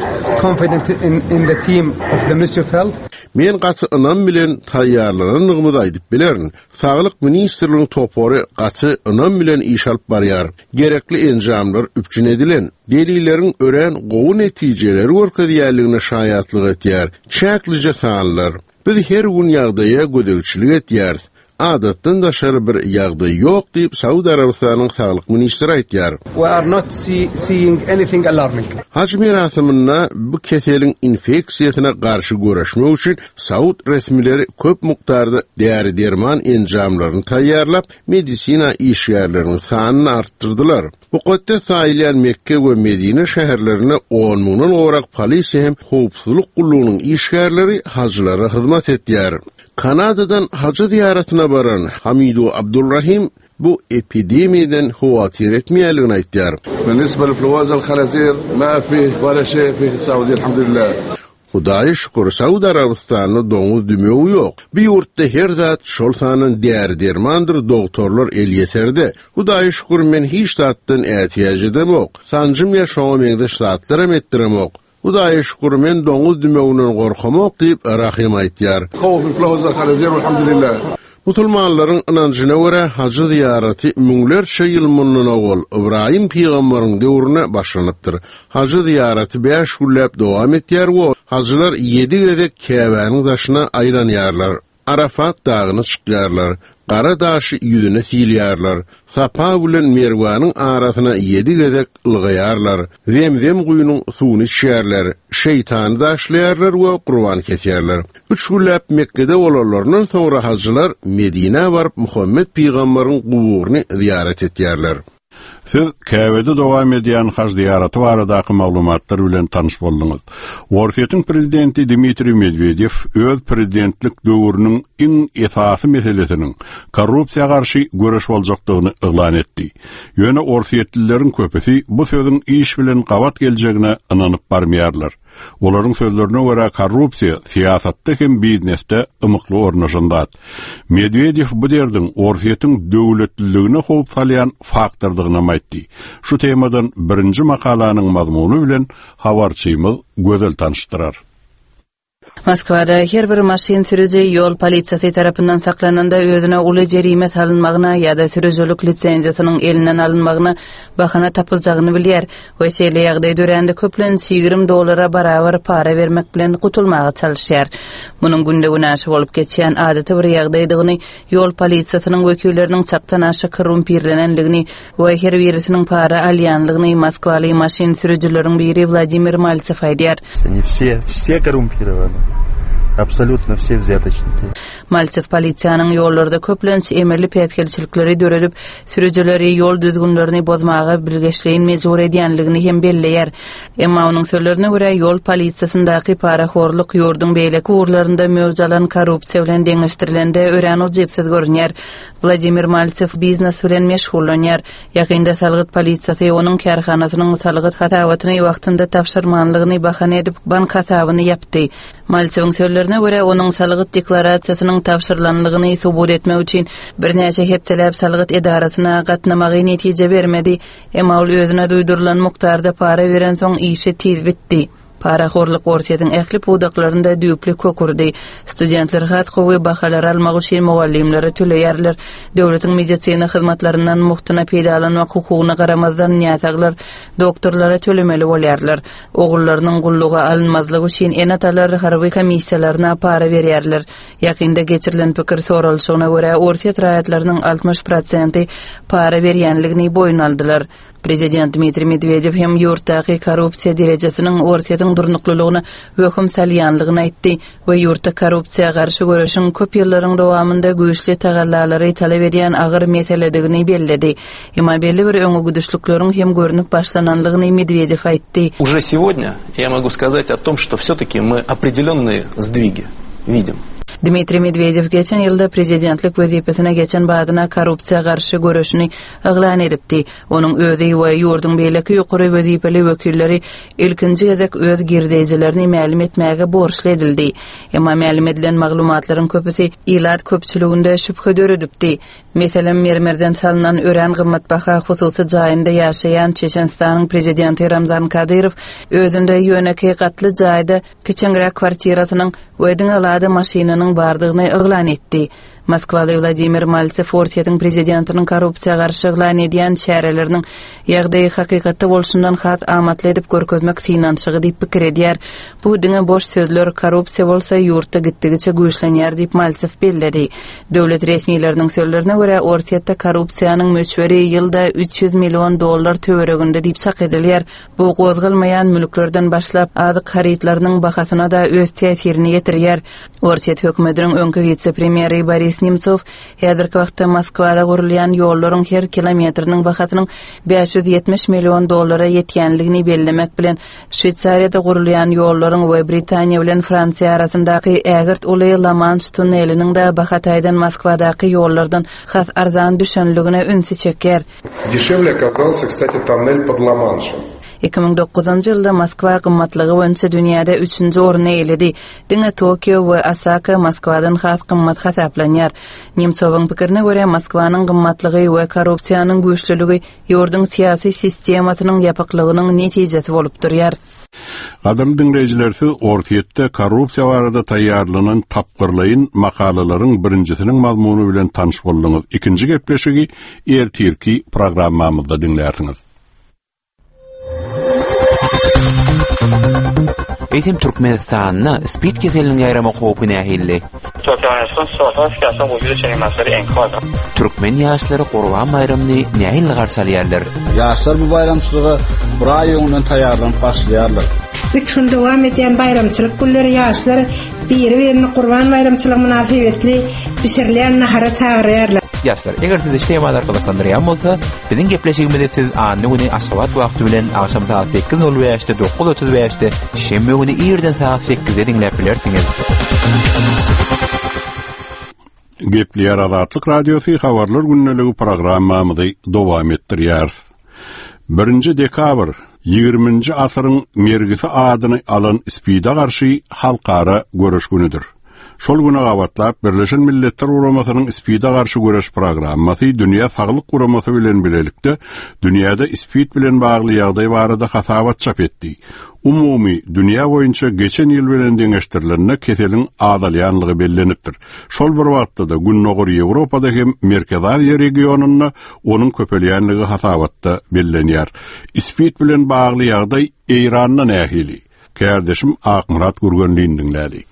Speaker 14: confident in, in the team of the Ministry of Health.
Speaker 13: Men gaty ynam bilen taýýarlanandygymyzy aýdyp bilerin. Saglyk ministrliginiň topary gaty ynam bilen iş alyp barýar. Gerekli enjamlar üpjün edilen, delilleriň örän gowy netijeleri görkezýärligine şaýatlyk etýär. Çäklije sanlar. Biz her gün ýagdaýa gözegçilik etýäris. Adatdan daşary bir ýagdaý ýok diýip Saud Arabystanyň saglyk ministri aýtýar.
Speaker 14: We are not see, seeing anything alarming.
Speaker 13: Haj merasiminde bu keseliň infeksiýasyna garşy göreşmek üçin Saud resmileri köp mukdarda däri-derman enjamlaryny taýýarlap, medisina işgärleriniň sanyny artdyrdylar. Mukaddes saýylýan Mekke we Medine şäherlerinde on müňden gowrak polisiýa hem howpsuzlyk gullugynyň işgärleri hajylara hyzmat etýär. Kanadadan hajy ziýaratyna baran Hamidu Abdulrahim bu epidemiýadan howatyr etmeýänligini aýtýar.
Speaker 15: بالنسبة لإنفلونزا الخنازير ما فيه ولا شيء في السعودية الحمد لله.
Speaker 13: Hudaýa şükür, Saud Arabystanda doňuz dümewi ýok. Bu ýurtda her zat şol sandan däri-dermandyr, doktorlar elýeterde. Hudaýa şükür, men hiç zatdan ätiýaç edemok. Sanjym ýa şoňa meňzeş zatlaram etdiremok. Hudaýa şükür, men doňuz dümewinden gorkamok diýip Rahim aýtýar.
Speaker 15: خوف إنفلونزا الخنازير والحمد لله.
Speaker 13: Musulmanlaryň ynanjyna görä hajy zyýaraty müňlerçe ýyl mundan owal Ibrahim pygamberiň döwrüne başlanypdyr. Hajy zyýaraty bäş günläp dowam etýär we hajylar ýedi gezek Käbäniň daşyna aýlanýarlar. Arafat dagyna çykýarlar. Gara daşy ýüzüne silýärler. Sapa bilen Merwanyň arasyna ýedi gezek ylgaýarlar. Zemzem guýunyň suwuny içýärler. Şeýtany daşlaýarlar we gurban kesýärler. Üç günläp Mekke'de bolanlaryndan soňra hajylar Medinä baryp Muhammed pygamberiň guburyny zyýarat etýärler.
Speaker 1: Siz Käbede dowam edýän haj zyýaraty baradaky maglumatlar bilen tanyş bolduňyz. Orsýetiň prezidenti Dmitriý Medwedew öz prezidentlik döwrüniň iň esasy meselesiniň korrupsiýa garşy göreş boljakdygyny yglan etdi. Ýöne orsýetlileriň köpüsi bu sözüň iş bilen gabat geljegine ynanyp barmaýarlar. Olaryň sözlerine görä korrupsiýa syýasatda hem biznesde ymykly ornaşan zat. Medwedew bu derdiň Orsýetiň döwletliligine howp salýan faktordygyny aýtdy. Şu temadan birinji makalanyň mazmuny bilen habarçymyz Gözel tanyşdyrar.
Speaker 6: Moskwada her bir maşyn sürüji ýol polisiýasy tarapyndan saklananda özüne uly jerime salynmagyna ýa-da sürüjilik lisenziýasynyň elinden alynmagyna bahana tapyljagyny bilýär we şeýle ýagdaý dörände köplenç ýigrimi dollara barabar para bermek bilen gutulmaga çalyşýar. Munuň günde günaşy bolup geçýän adaty bir ýagdaýdygyny, ýol polisiýasynyň wekilleriniň çakdan aşa korrumpirlenenligini we her birisiniň para alýanlygyny Moskwaly maşyn sürüjileriň biri Wladimir Maltsew aýdýar.
Speaker 16: Они все, все коррумпированы. Абсолютно все взяточники.
Speaker 6: Maltsew polisiýanyň ýollarda köplenç emelli päsgelçilikleri döredip, sürüjileri ýol düzgünlerini bozmaga bilgeşleýin mejbur edýänligini hem belleýär. Emma onuň sözlerine görä ýol polisiýasyndaky parahorluk ýurduň beýleki ugurlarynda möwç alan korrupsiýa bilen deňeşdirilende örän ujypsyz görünýär. Wladimir Maltsew biznes bilen meşgullanýar. Ýakynda salgyt polisiýasy onuň kärhanasynyň salgyt hasabatyny wagtynda tabşyrmanlygyny bahana edip bank hasabyny ýapdy. Maltsewiň sözlerine görä onuň salgyt deklarasiýasynyň tabşyrylanlygyny subut etmek üçin birnäçe hepdeläp salgyt edarasyna gatnamagy netije bermedi. Emma ol özüne duýdurylan mukdarda para beren soň işi tiz bitdi. Parahorluk Orsýetiň ähli pudaklarynda düýpli kök urdy. Studentler has gowy bahalar almak üçin mugallymlara töleýärler. Döwletiň medisina hyzmatlaryndan muhtuna peýdalanmak hukugyna garamazdan näsaglar doktorlara tölemeli bolýarlar. Ogullarynyň gulluga alynmazlygy üçin ene-atalar harby komissiýalaryna para berýärler. Ýakynda geçirilen pikir soralyşygyna görä Orsýet raýatlarynyň altmyş prosenti para berýänligini boýun aldylar. Prezident Dmitriý Medwedew hem ýurtdaky korrupsiýa derejesiniň Orsýetiň durnuklylygyna wehim salýanlygyny aýtdy we ýurtda korrupsiýa garşy göreşiň köp ýyllaryň dowamynda güýçli tagallalary talap edýän agyr meseledigini belledi. Emma belli bir öňe gidişlikleriň hem görünip başlananlygyny Medwedew aýtdy.
Speaker 17: Уже сегодня я могу сказать о том, что все-таки мы определенные сдвиги видим.
Speaker 6: Dmitriý Medwedew geçen ýylda prezidentlik wezipesine geçen badyna korrupsiýa garşy göreşini yglan edipdi. Onuň özi we ýurduň beýleki ýokary wezipeli wekilleri ilkinji gezek öz girdejilerini mälim etmäge borçly edildi. Emma mälim edilen maglumatlaryň köpüsi ilat köpçüliginde şübhe döredipdi. Meselem, mermerden salynan örän gymmatbaha hususy jaýynda ýaşaýan Çeçenistanyň prezidenti Ramzan Kadyrow özünde ýöneki gatly jaýda kiçeňräk kwartirasynyň we diňe Lada maşynynyň bardygyny yglan etdi. Moskwaly Wladimir Maltsew Orsýetiň prezidentiniň korrupsiýa garşy yglan edýän çäreleriniň ýagdaýy hakykatda bolşundan has amatly edip görkezmek synanyşygy diýip pikir edýär. Bu diňe boş sözler, korrupsiýa bolsa ýurtda gitdigiçe güýçlenýär diýip Maltsew belledi. Döwlet resmileriniň sözlerine görä Orsýetde korrupsiýanyň möçberi ýylda üç ýüz million dollar töwereginde diýip çak edilýär. Bu gozgalmaýan mülklerden başlap azyk harytlarynyň bahasyna da öz täsirini ýetirýär. Orsýet hökümetiniň öňki wise-premýeri Boris Boris Nemtsov häzirki wagtda Moskwada gurulýan ýollaryň her kilometriniň bahasynyň bäş ýüz ýetmiş million dollara ýetýänligini bellemek bilen Şweýsariýada gurulýan ýollaryň we Britaniýa bilen Fransiýa arasyndaky ägirt uly La-Manş tunneliniň-de baha taýdan Moskwadaky ýollardan has arzan düşenligine ünsi çekýär.
Speaker 18: Дешевле оказался, кстати, тоннель под Ла-Маншем.
Speaker 6: Iki müň dokuzynjy ýylda Moskwa gymmatlygy boýunça dünýäde üçünji orny eýeledi. Diňe Tokio we Osaka Moskwadan has gymmat hasaplanýar. Nemtsowyň pikirine görä, Moskwanyň gymmatlygy we korrupsiýanyň güýçlüligi ýurduň syýasy sistemasynyň ýapyklygynyň netijesi bolup durýar.
Speaker 1: Gadyrly diňleýjiler, siz Orsýetde korrupsiýa barada taýýarlanan tapgyrlaýyn makalalaryň birinjisiniň mazmuny bilen tanyş bolduňyz. Ikinji gepleşigi ertirki programmamyzda diňlärsiňiz.
Speaker 19: Eýsem Türkmenistanda SPID keseliniň ýaýrama howpy nähili? Türkmen ýaşlary Gurban baýramyny nähili garşy alýarlar?
Speaker 20: Ýaşlar bu baýramçylyga bir aý öňünden taýýarlanyp başlaýarlar.
Speaker 21: Üç gün dowam edýän baýramçylyk günleri ýaşlar biri-birini Gurban baýramçylygy mynasybetli bişirilýän nahara çagyrýarlar.
Speaker 19: Ýaşlar, eger sizi şu temalar gyzyklandyrýan bolsa, biziň gepleşigimizi siz anna güni Aşgabat wagty bilen agşam sagat sekiz nol bäşde, dokuz otuz bäşde, şenbe güni irden sagat sekizde diňläp bilersiňiz.
Speaker 1: Gepleýär Azatlyk Radiosy habarlar gündeligi programmamyzy dowam etdirýär. Birinji dekabr ýigriminji asyryň mergisi adyny alan SPID-e garşy halkara göreş günüdir. Şol güne gabatlap Birleşen Milletler Guramasynyň SPID-e garşy göreş programmasy Dünýä Saglyk Guramasy bilen bilelikde dünýäde SPID bilen bagly ýagdaý barada hasabat çap etdi. Umumy dünýä boýunça geçen ýyl bilen deňeşdirilende keseliň azalýanlygy bellenipdir. Şol bir wagtda-da Gündogar Ýewropada hem Merkezi Aziýa regionynda onuň köpelýänligi hasabatda bellenýär. SPID bilen bagly ýagdaý Eýranda nähili? Kärdeşim Akmyrat Gürgenlini diňläli.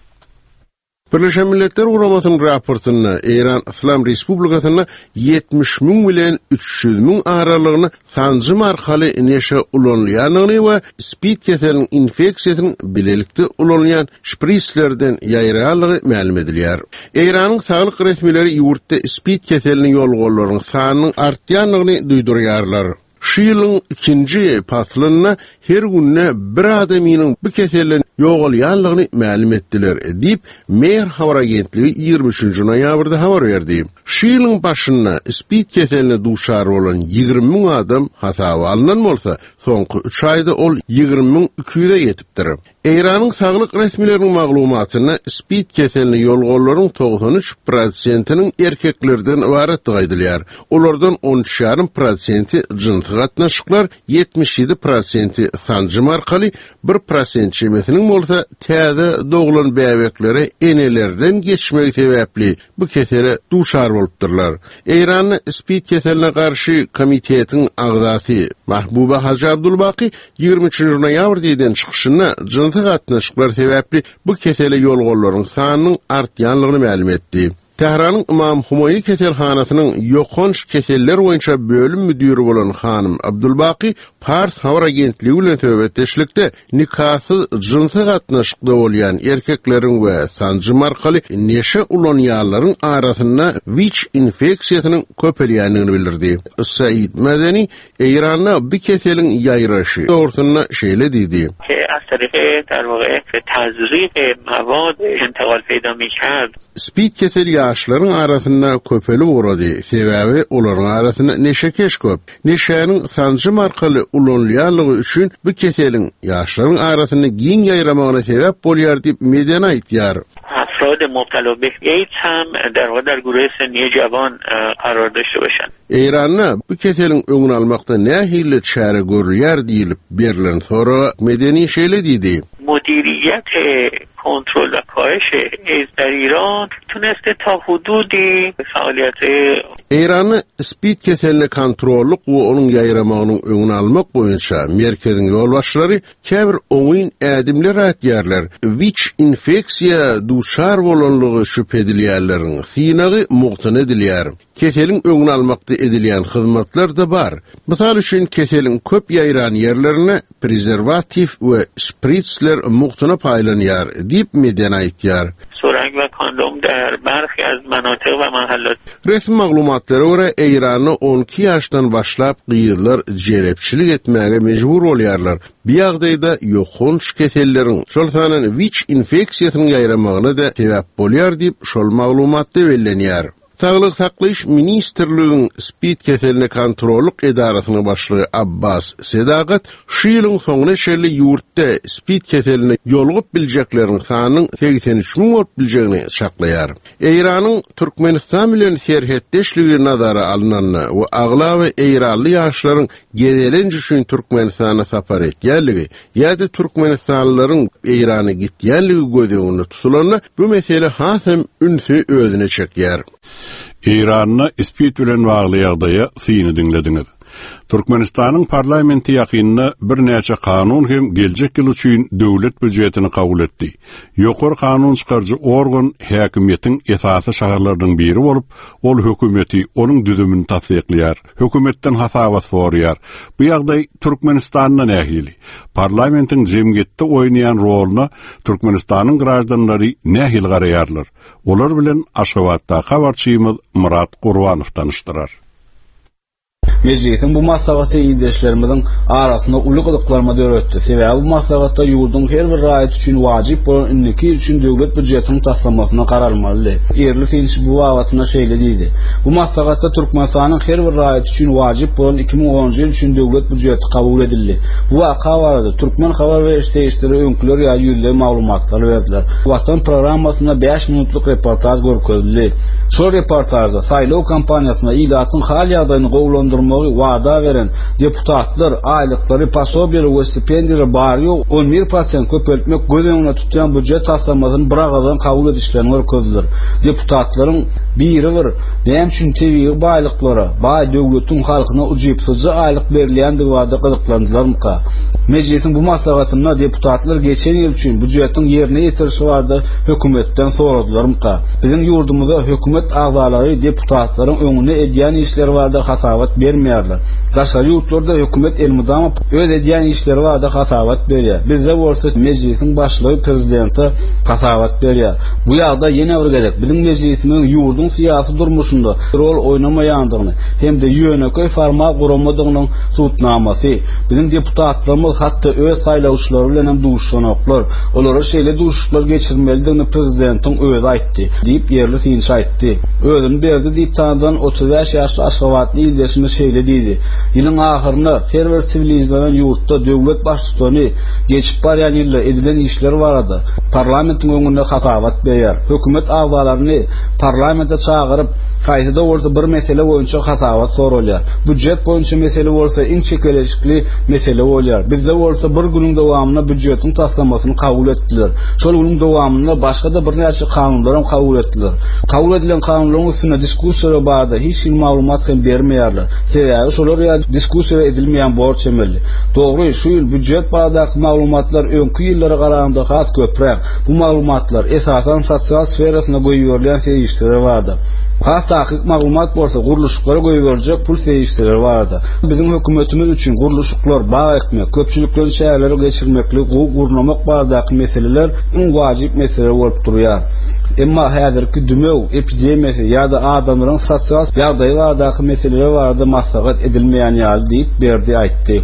Speaker 13: Birleşen Milletler Guramasynyň raportynda Eýran Islam Respublikasynda ýetmiş müň bilen üç ýüz müň aralygyny sanjym arkaly neşe ulanylýandygyny we SPID keseliniň infeksiýasynyň bilelikde ulanylýan şprislerden ýaýraýanlygy mälim edilýär. Eýranyň saglyk resmileri ýurtda SPID keseliniň ýolgalarynyň sanynyň artýandygyny duýdurýarlar. Şu ýylyň ikinji paslynda her günde bir adamynyň bu keselden ýogalýanlygyny mälim etdiler, diýip Mehr habar agentligi ýigrimi üçünji noýabrda habar berdi. Şu ýylyň başynda SPID keseline duşar bolan ýigrimi müň adam hasaba alnan bolsa, soňky üç aýda ol ýigrimi müň iki ýüze ýetipdir. Eýranyň saglyk resmileriniň maglumatynda SPID keseline ýolgalaryň togsan üç prosentiniň erkeklerden ybaratdygy aýdylýar. Olardan on üç ýarym prosenti jynsy gatnaşyklar, ýetmiş ýedi prosenti sanjym arkaly, bir prosent çemesiniň bolsa täze doglan bäbeklere enelerden geçmegi sebäpli bu kesele duşar bolupdyrlar. Eýranda SPID keseline garşy komitetiň agzasy Mahbuba Hajy Abdulbaki ýigrimi üçünji noýabr diýden çykyşynda jynsy gatnaşyklar sebäpli bu kesele ýolgalaryň sanynyň artýanlygyny mälim etdi. Tähranyň Imam Humeýni keselhanasynyň ýokanç keseller boýunça bölüm müdiri bolan hanym Abdulbaki Pars habar agentligi bilen söhbetdeşlikde nikasyz jynsy gatnaşykda bolýan erkekleriň we sanjym arkaly neşe ulanýanlaryň arasynda WIÇ infeksiýasynyň köpelýändigini bildirdi. Said Medeni Eýranda bu keseliň ýaýraşy dogrusynda şeýle diýdi. SPID keseli ýaşlaryň arasynda köpelip ugrady, sebäbi olaryň arasynda neşekeş köp. Neşäniň sanjym arkaly ulanylýanlygy üçin bu keseliň ýaşlaryň arasynda giň ýaýramagyna sebäp bolýar diýip Medeni aýtýar.
Speaker 22: افراد مبتلا به ایدز هم در واقع در گروه سنی جوان قرار داشته باشند.
Speaker 13: Eýranda bu keseliň öňüni almakda nähili çäre görülýär diýilip berilen soraga Medeni şeýle diýdi.
Speaker 22: مدیریت کنترل و کاهش ایدز در ایران تونسته تا حدودی فعالیت
Speaker 13: Eýranda SPID keseline kontrollyk we onuň ýaýramagynyň öňüni almak boýunça merkeziň ýolbaşçylary käbir oňyn ädimler atýarlar. WIÇ infeksiýa duşar bolanlygy şübhe edilýärleriň synagy mugtuna edilýär. Keseliň öňüni almakda edilýän hyzmatlar da bar. Mysal üçin keseliň köp ýaýran ýerlerine prezerwativ we şpritsler mugtuna paýlanýar diýip Medeni aýtýar.
Speaker 22: سرنگ و کاندوم در برخی از مناطق و محلات
Speaker 13: Resmi maglumatlara görä Eýranda on iki ýaşdan başlap gyzlar jelepçilik etmäge mejbur bolýarlar. Bu ýagdaýda ýokanç keselleriň, şol sanda WIÇ infeksiýasynyň ýaýramagyna da sebäp bolýar diýip şol maglumatda bellenýär. Saglyk saklaýyş ministrliginiň SPID keseline kontrollyk edarasynyň başlygy Abbas Sedagat şu ýylyň soňuna çenli ýurtda SPID keseline ýolugyp biljekleriň sanynyň segsen üç müň bolup biljegini çaklaýar. Eýranyň Türkmenistan bilen serhetdeşligi nazara alynanda we aglaba Eýranly ýaşlaryň gezelenç üçin Türkmenistana sapar etýänligi ýa-da Türkmenistanlylaryň Eýrana gitýänligi göz öňünde tutulanda bu mesele has hem ünsi özüne çekýär.
Speaker 1: Eýranda SPID bilen bagly ýagdaýa syny diňlediňiz. Türkmenistanyň parlamenti ýakynda birnäçe kanun hem geljek ýyl üçin döwlet býujetini kabul etdi. Ýokary kanun çykaryjy organ häkimiýetiň esasy şahalarlarynyň biri bolup, ol hökümeti onuň düzümini tassyklaýar, hökümetden hasabat soraýar. Bu ýagdaý Türkmenistanda nähili? Parlamentiň jemgyýetde oýnaýan roluna Türkmenistanyň graždanlary nähili garaýarlar? Olar bilen Aşgabatda habarçymyz Murat Gurbanow tanyşdyrar.
Speaker 20: Meclisiň bu maslahaty ildeşlerimizin arasynda uly gyzyklanma döretdi. Sebäbi bu maslahatda ýurduň her bir raýaty üçin wajyp bolan indiki ýyl üçin döwlet býujetiniň taslamasyna garalmalydy. Ýerli synçy bu babatynda şeýle diýdi. Bu maslahatda Türkmenistanyň her bir raýaty üçin wajyp bolan iki müň onunjy ýyl üçin döwlet býujeti kabul edildi. Bu waka barada Türkmen habar beriş serişdeleri öňküler ýa ýüzleý maglumatlar berdiler. Watan programmasynda bäş minutlyk reportaj görkezildi. Şol reportajda saýlaw kampaniýasyna ilatyň hal ýagdaýyny gowulandyrmagy wada beren deputatlar aýlyklary, posobiýalar we stipendiýalar bary on bir prosent köpeltmek göz öňünde tutýan býujet taslamasyny bir agadan kabul edişlerini görkezdiler. Deputatlaryň biri bir näme üçin tebigy baýlyklara, baý döwletiň halkyna ujypsyzja aýlyk berilýändigi barada gyzyklandylarmyka? Meclisiň bu maslahatynda deputatlar geçen ýyl üçin býujetiň ýerine ýetirişi barada hökümetden soradylarmyka? Biziň ýurdumyzda hökümet agzalary deputatlaryň öňünde edýän işleri barada hasabat bermeýärler. Daşary ýurtlarda hökümet elmydama öz edýän işleri barada hasabat berýär. Bizde bolsa meclisiň başlygy prezidente hasabat berýär. Bu ýagdaý ýene bir gezek biziň meclisimiziň ýurduň syýasy durmuşynda rol oýnamaýandygyny hem-de ýönekeý formal guramadygynyň subutnamasy. Biziň deputatlarymyz hatda öz saýlawçylary bilen hem duşuşanoklar. Olara şeýle duşuşyklar geçirmelidigini prezidentiň özi aýtdy diýip ýerli synçy aýtdy. Özüni berdi diýip tanydan otuz bäş ýaşly Aşgabatly ildeşimiz şeýle diýdi. Ýylyň ahyrynda her bir siwilizlenen ýurtda döwlet baştutany geçip barýan ýylda edilen işler barada parlamentiň öňünde hasabat berýär. Hökümet agzalaryny parlamente çagyryp, haýsy-da bolsa bir mesele boýunça hasabat sorulýar. Býujet boýunça mesele bolsa iň çekeleşikli mesele bolýar. Bizde bolsa bir günüň dowamynda býujetiň taslamasyny kabul etdiler. Şol günüň dowamynda başga-da birnäçe kanunlar hem kabul etdiler. Kabul edilen kanunlaryň üstünde diskussiýa barada hiç hili maglumat hem bermeýärler. Sebäbi şolar ýa diskussiýa edilmeýän borç emeli. Dogry, şu ýyl býujet baradaky maglumatlar öňki ýyllara garanda has köpräk. Bu maglumatlar esasan sosial sferasyna goýberilýän serişdeler barada. Has takyk maglumat bolsa gurluşyklara goýberiljek pul serişdeleri barada. Biziň hökümetimiz üçin gurluşyklar, bag ekmek, köpçülikleýin çäreleri geçirmeklik, gowy gurnamak baradaky meseleler iň wajyp mesele bolup durýar. Emma häzirki dümew epidemiýasy ýa-da adamlaryň sosial ýagdaýy baradaky meseleler barada maslahat edilmeýän ýaly diýip Berdi aýtdy.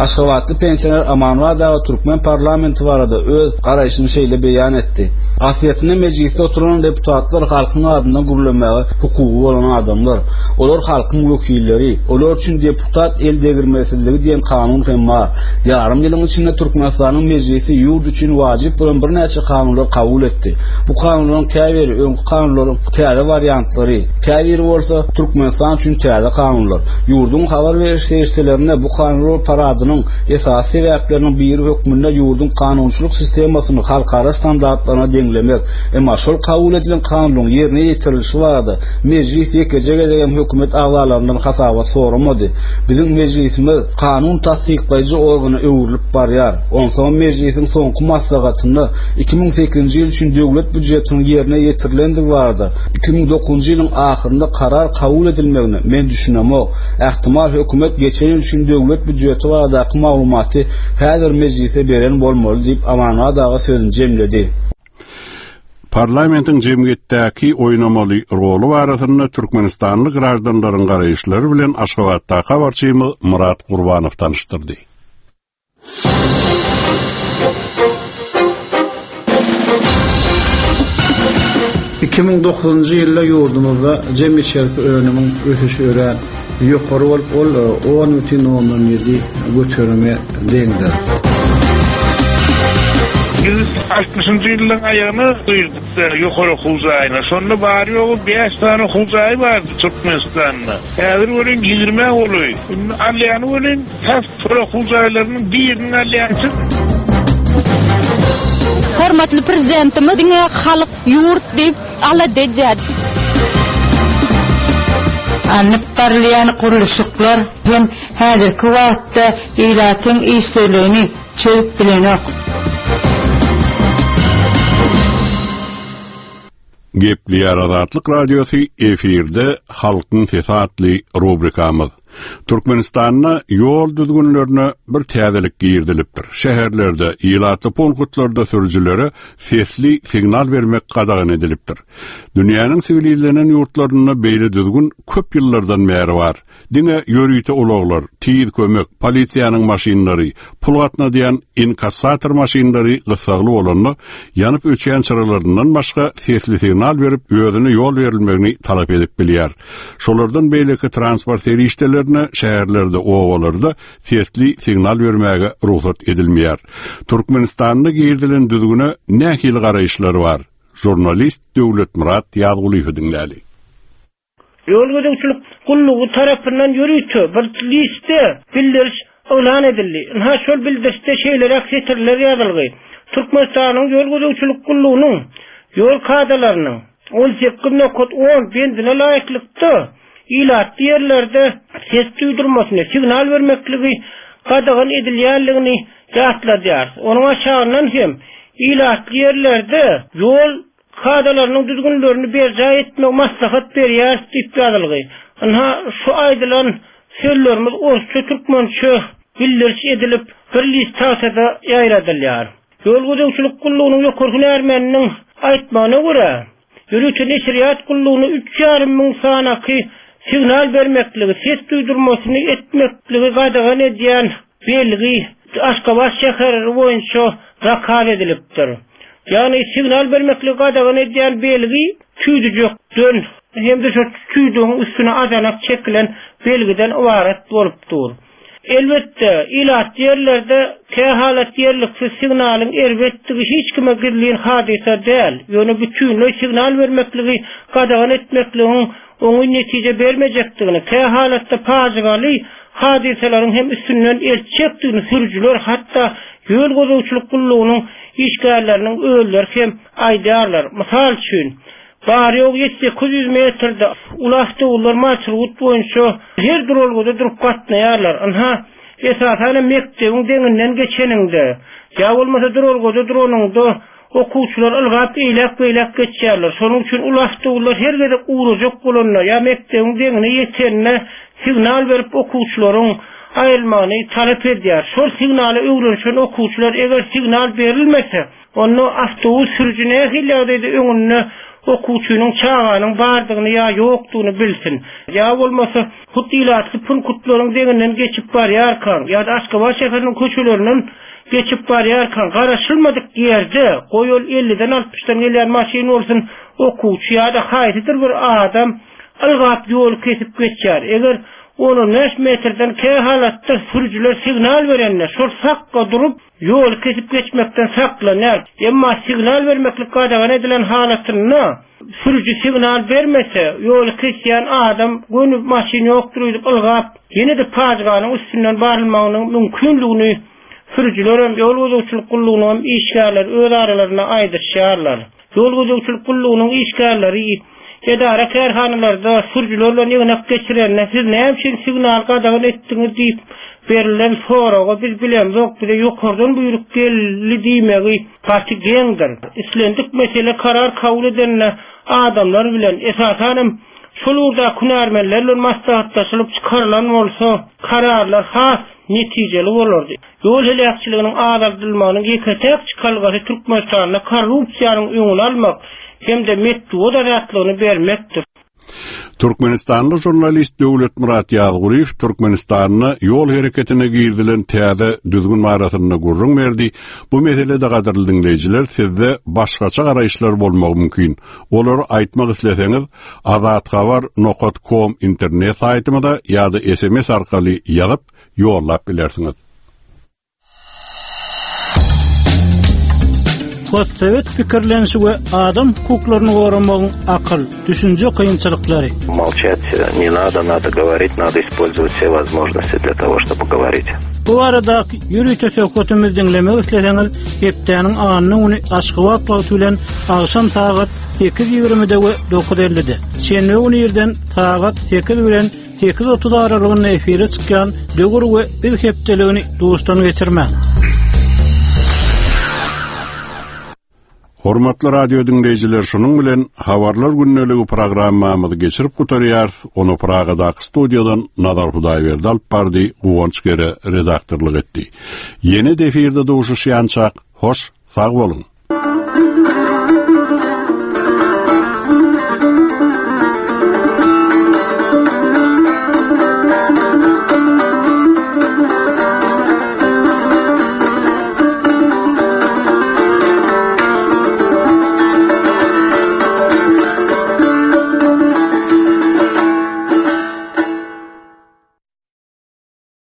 Speaker 20: Aşgabatly pensioner Amanwat aga Türkmen parlamenti barada öz garaýşyny şeýle beýan etdi. Aslyýetinde meclisde oturan deputatlar halkyň adyndan gürlemäge hukugy bolan adamlar. Olar halkyň wekilleri. Olar üçin deputat el degirmesizligi diýen kanun hem bar. Ýarym ýylyň içinde Türkmenistanyň meclisi ýurt üçin wajyp bolan birnäçe kanunlar kabul etdi. Bu kanunlaryň käbiri öňki kanunlaryň täze wariantlary, käbiri bolsa Türkmenistan üçin täze kanunlar. Ýurduň habar beriş serişdelerinde bu kanunlar paradynyň esasy sebäpleriniň biri hökmünde ýurduň kanunçylyk sistemasyny halkara standartlaryna deňlemek, emma şol kabul edilen kanunyň ýerine ýetirilişi barada meclis ýekeje gezek hem hökümet agzalaryndan hasabat soramady. Biziň meclisimiz kanun tassyklaýjy organa öwrülip barýar. Onsoň meclisiň soňky maslahatynda iki müň sekizinji ýyl üçin döwlet býujetiniň ýerine ýetirilendigi barada iki müň dokuzynjy ýylyň ahyrynda karar kabul edilmegine men düşünemok. Ähtimal hökümet geçen ýyl üçin döwlet býujeti baradaky maglumaty häzir meclise beren bolmaly diýip Amanwat aga sözüni jemledi.
Speaker 1: Parlamentiň jemgyýetdäki oýnamaly roly barasynda Türkmenistanly graždanlaryň garaýyşlary bilen Aşgabatdaky habarçymyz Murat Gurbanow tanyşdyrdy.
Speaker 4: iki müň dokuzynjy ýylda ýurdumyzda jemi içerki önümiň ösüşi örän ýokary bolup, ol on bütin ondan ýedi göterime deňdir.
Speaker 5: Biz altmyşynjy ýylyň aýagyna girdik ýokary okuw jaýyna. Şonda bary ýogy bäş sany okuw jaýy bardy Türkmenistanda. Häzir welin ýigrimi golaý. Indi alýany welin tas okuw jaýlarynyň birini alýançy.
Speaker 23: Hormatly prezidentimiz diňe halk ýurt diýip alada edýär.
Speaker 24: Alnyp barylýan gurluşyklar hem häzirki wagtda ilatyň işsizligini çözüp bilenok.
Speaker 1: Gepleýär Azatlyk Radiosy efirde Halkyň Sesi atly rubrikamyz. Türkmenistanda ýol düzgünlerine bir täzelik girdilipdir. Şäherlerde, ilatly punktlarda sürüjilere sesli signal bermek gadagan edilipdir. Dünýäniň siwilizlenen ýurtlarynda beýle düzgün köp ýyllardan bäri bar. Diňe ýörite ulaglar, tiz kömek, polisiýanyň maşynlary, pul gatnadýan inkassator maşynlary gyssagly bolanda, ýanyp öçýän çyralaryndan başga sesli signal berip özüne ýol berilmegini talap edip bilýär. Şolardan beýleki transport serişdelerine şäherlerde, obalarda sesli signal bermäge rugsat edilmeýär. Türkmenistanda girdilen düzgüne nähili garaýyşlar bar? Jurnalist Döwletmyrat Ýazgulyýew diňläli.
Speaker 25: Ýol gözegçilik gullugy tarapyndan ýörite bir liste bildiriş yglan edildi. Ynha şol bildirişde şeýleräk setirler ýazylgy. Türkmenistanyň ýol gözegçilik gullugynyň ýol kadalarynyň on sekiz nokat on bendine laýyklykda ilatly ýerlerde ses duýdurmasyny, signal bermekligi gadagan edilýänligini ýatladýar. Onuň aşagyndan hem ilatly ýerlerde ýol kadalarynyň düzgünlerini berjaý etmek maslahat berýär diýip ýazylgy. Ynha şu aýdylan sözlerimiz orsça türkmençe bildiriş edilip bir list tagtada ýaýradylýar. Ýol gözegçilik gullugynyň ýokary hünärmeniniň aýtmagyna görä, ýörite neşirýat gullugyna üç ýarym müň sanaky signal bermekligi, ses duýdurmasyny etmekligi gadagan edýän belgi Aşgabat şäheri boýunça zakaz edilipdir. Ýagny signal bermekligi gadagan edýän belgi tüýdüjekden hem de şu tüýdügiň üstüne azanak çekilen belgiden ybarat bolup dur. Elbetde, ilat ýerlerde kähalat ýerliksiz signalyň erbetdigi hiç kime gizlin hadysa däl. Ýöne bütünleý signal bermekligi gadagan etmekligiň oňyn netije bermejekdigini, kähalatda pajygaly hadysalaryň hem üstünden eltjekdigini sürüjiler hatda ýol gözegçilik gullugynyň işgärleriniň özleri hem aýdýarlar. Mysal üçin, bary ýok ýedi sekiz ýüz metrde uly awtoulaglar marşrut boýunça her duralgada durup gatnaýarlar. Ynha, esasan mekdebiň deňinden geçeninde, ýa bolmasa duralgada duranyňda okuwçylar ylgap eýläk-beýläk geçýärler. Şonuň üçin uly awtoulaglar her gezek ugrajak bolanda ýa mekdebiň deňine ýetende signal berip okuwçylaryň aýrylmagyny talap edýär. Şol signala öwrenişen okuwçylar eger signal berilmese, onda awtobus sürüji nähili ýagdaýda öňünde okuwçynyň çaganyň bardygyny ýa ýokdugyny bilsin. Ýa bolmasa hut ilatly punktlaryň deňinden geçip barýarkan ýa-da Aşgabat şäheriniň köçelerinden geçip barýarkan garaşylmadyk ýerde goý ol elliden altmyşdan gelýän maşyn bolsun okuwçy ýa-da haýsydyr bir adam ylgap ýol kesip geçýär. Eger on bäş metrden kähalatda sürüjiler signal berende şol sakka durup ýol kesip geçmekden saklanýar. Emma signal bermeklik gadagan edilen halatynda sürüji signal bermese, ýol kesýän adam göni maşyn ýokdur diýip ylgap, ýene-de pajyganyň üstünden barylmagynyň mümkinligini sürüjiler hem ýol gözegçilik gullugynyň hem işgärleri öz aralarynda aýdyşýarlar. Ýol gözegçilik gullugynyň işgärleri edara kärhanalarda sürüjiler bilen ýygnak geçirende siz näme üçin signal gadagan etdiňiz diýip berilen soraga biz bilemzok, bize ýokardan buýruk geldi diýmegi gaty geňdir. Islendik mesele karar kabul edende adamlar bilen esasan hem şol ugurda hünärmenler bilen maslahatlaşylyp çykarylan bolsa kararlar has netijeli bolardy. Ýol heläkçiliginiň azaldylmagynyň ýeke-tek çykalgasy Türkmenistanda korrupsiýanyň öňüni almak, hem-de metbugat azatlygyny bermekdir.
Speaker 1: Türkmenistanly žurnalist Döwletmyrat Ýazgulyýew Türkmenistanda ýol hereketine girizilen täze düzgün barasynda gürrüň berdi. Bu meselede gadyrly diňleýjiler sizde başgaça garaýyşlar bolmagy mümkin. Olary aýtmak isleseňiz azathabar.com internet saýtymyza ýa-da SMS arkaly ýazyp ýollap bilersiňiz.
Speaker 3: Postsowet pikirlenişi we adam hukuklaryny goramagyň akyl, düşünje kynçylyklary.
Speaker 7: Молчать не надо, надо говорить, надо использовать все возможности для того, чтобы говорить.
Speaker 3: Bu arada ýörite söhbetimizi diňlemek isleseňiz, hepdäniň anna güni Aşgabat wagty bilen agşam sagat sekiz ýigrimide we dokuz ellide. Şenbe güni irden sagat sekiz bilen sekiz otuz aralygynda efire çykýan Döwür we Biz hepdeligini duşdan geçirmäň.
Speaker 1: Hormatly radio diňleýjiler, şunuň bilen Habarlar gündeligi programmamyzy geçirip gutarýarys. Onu Pragadaky studiýadan Nazar Hudaýberdi alyp bardy, Guwanç Gere redaktorlyk etdi. Ýene de efirde duşuşýançak, hoş, sag boluň.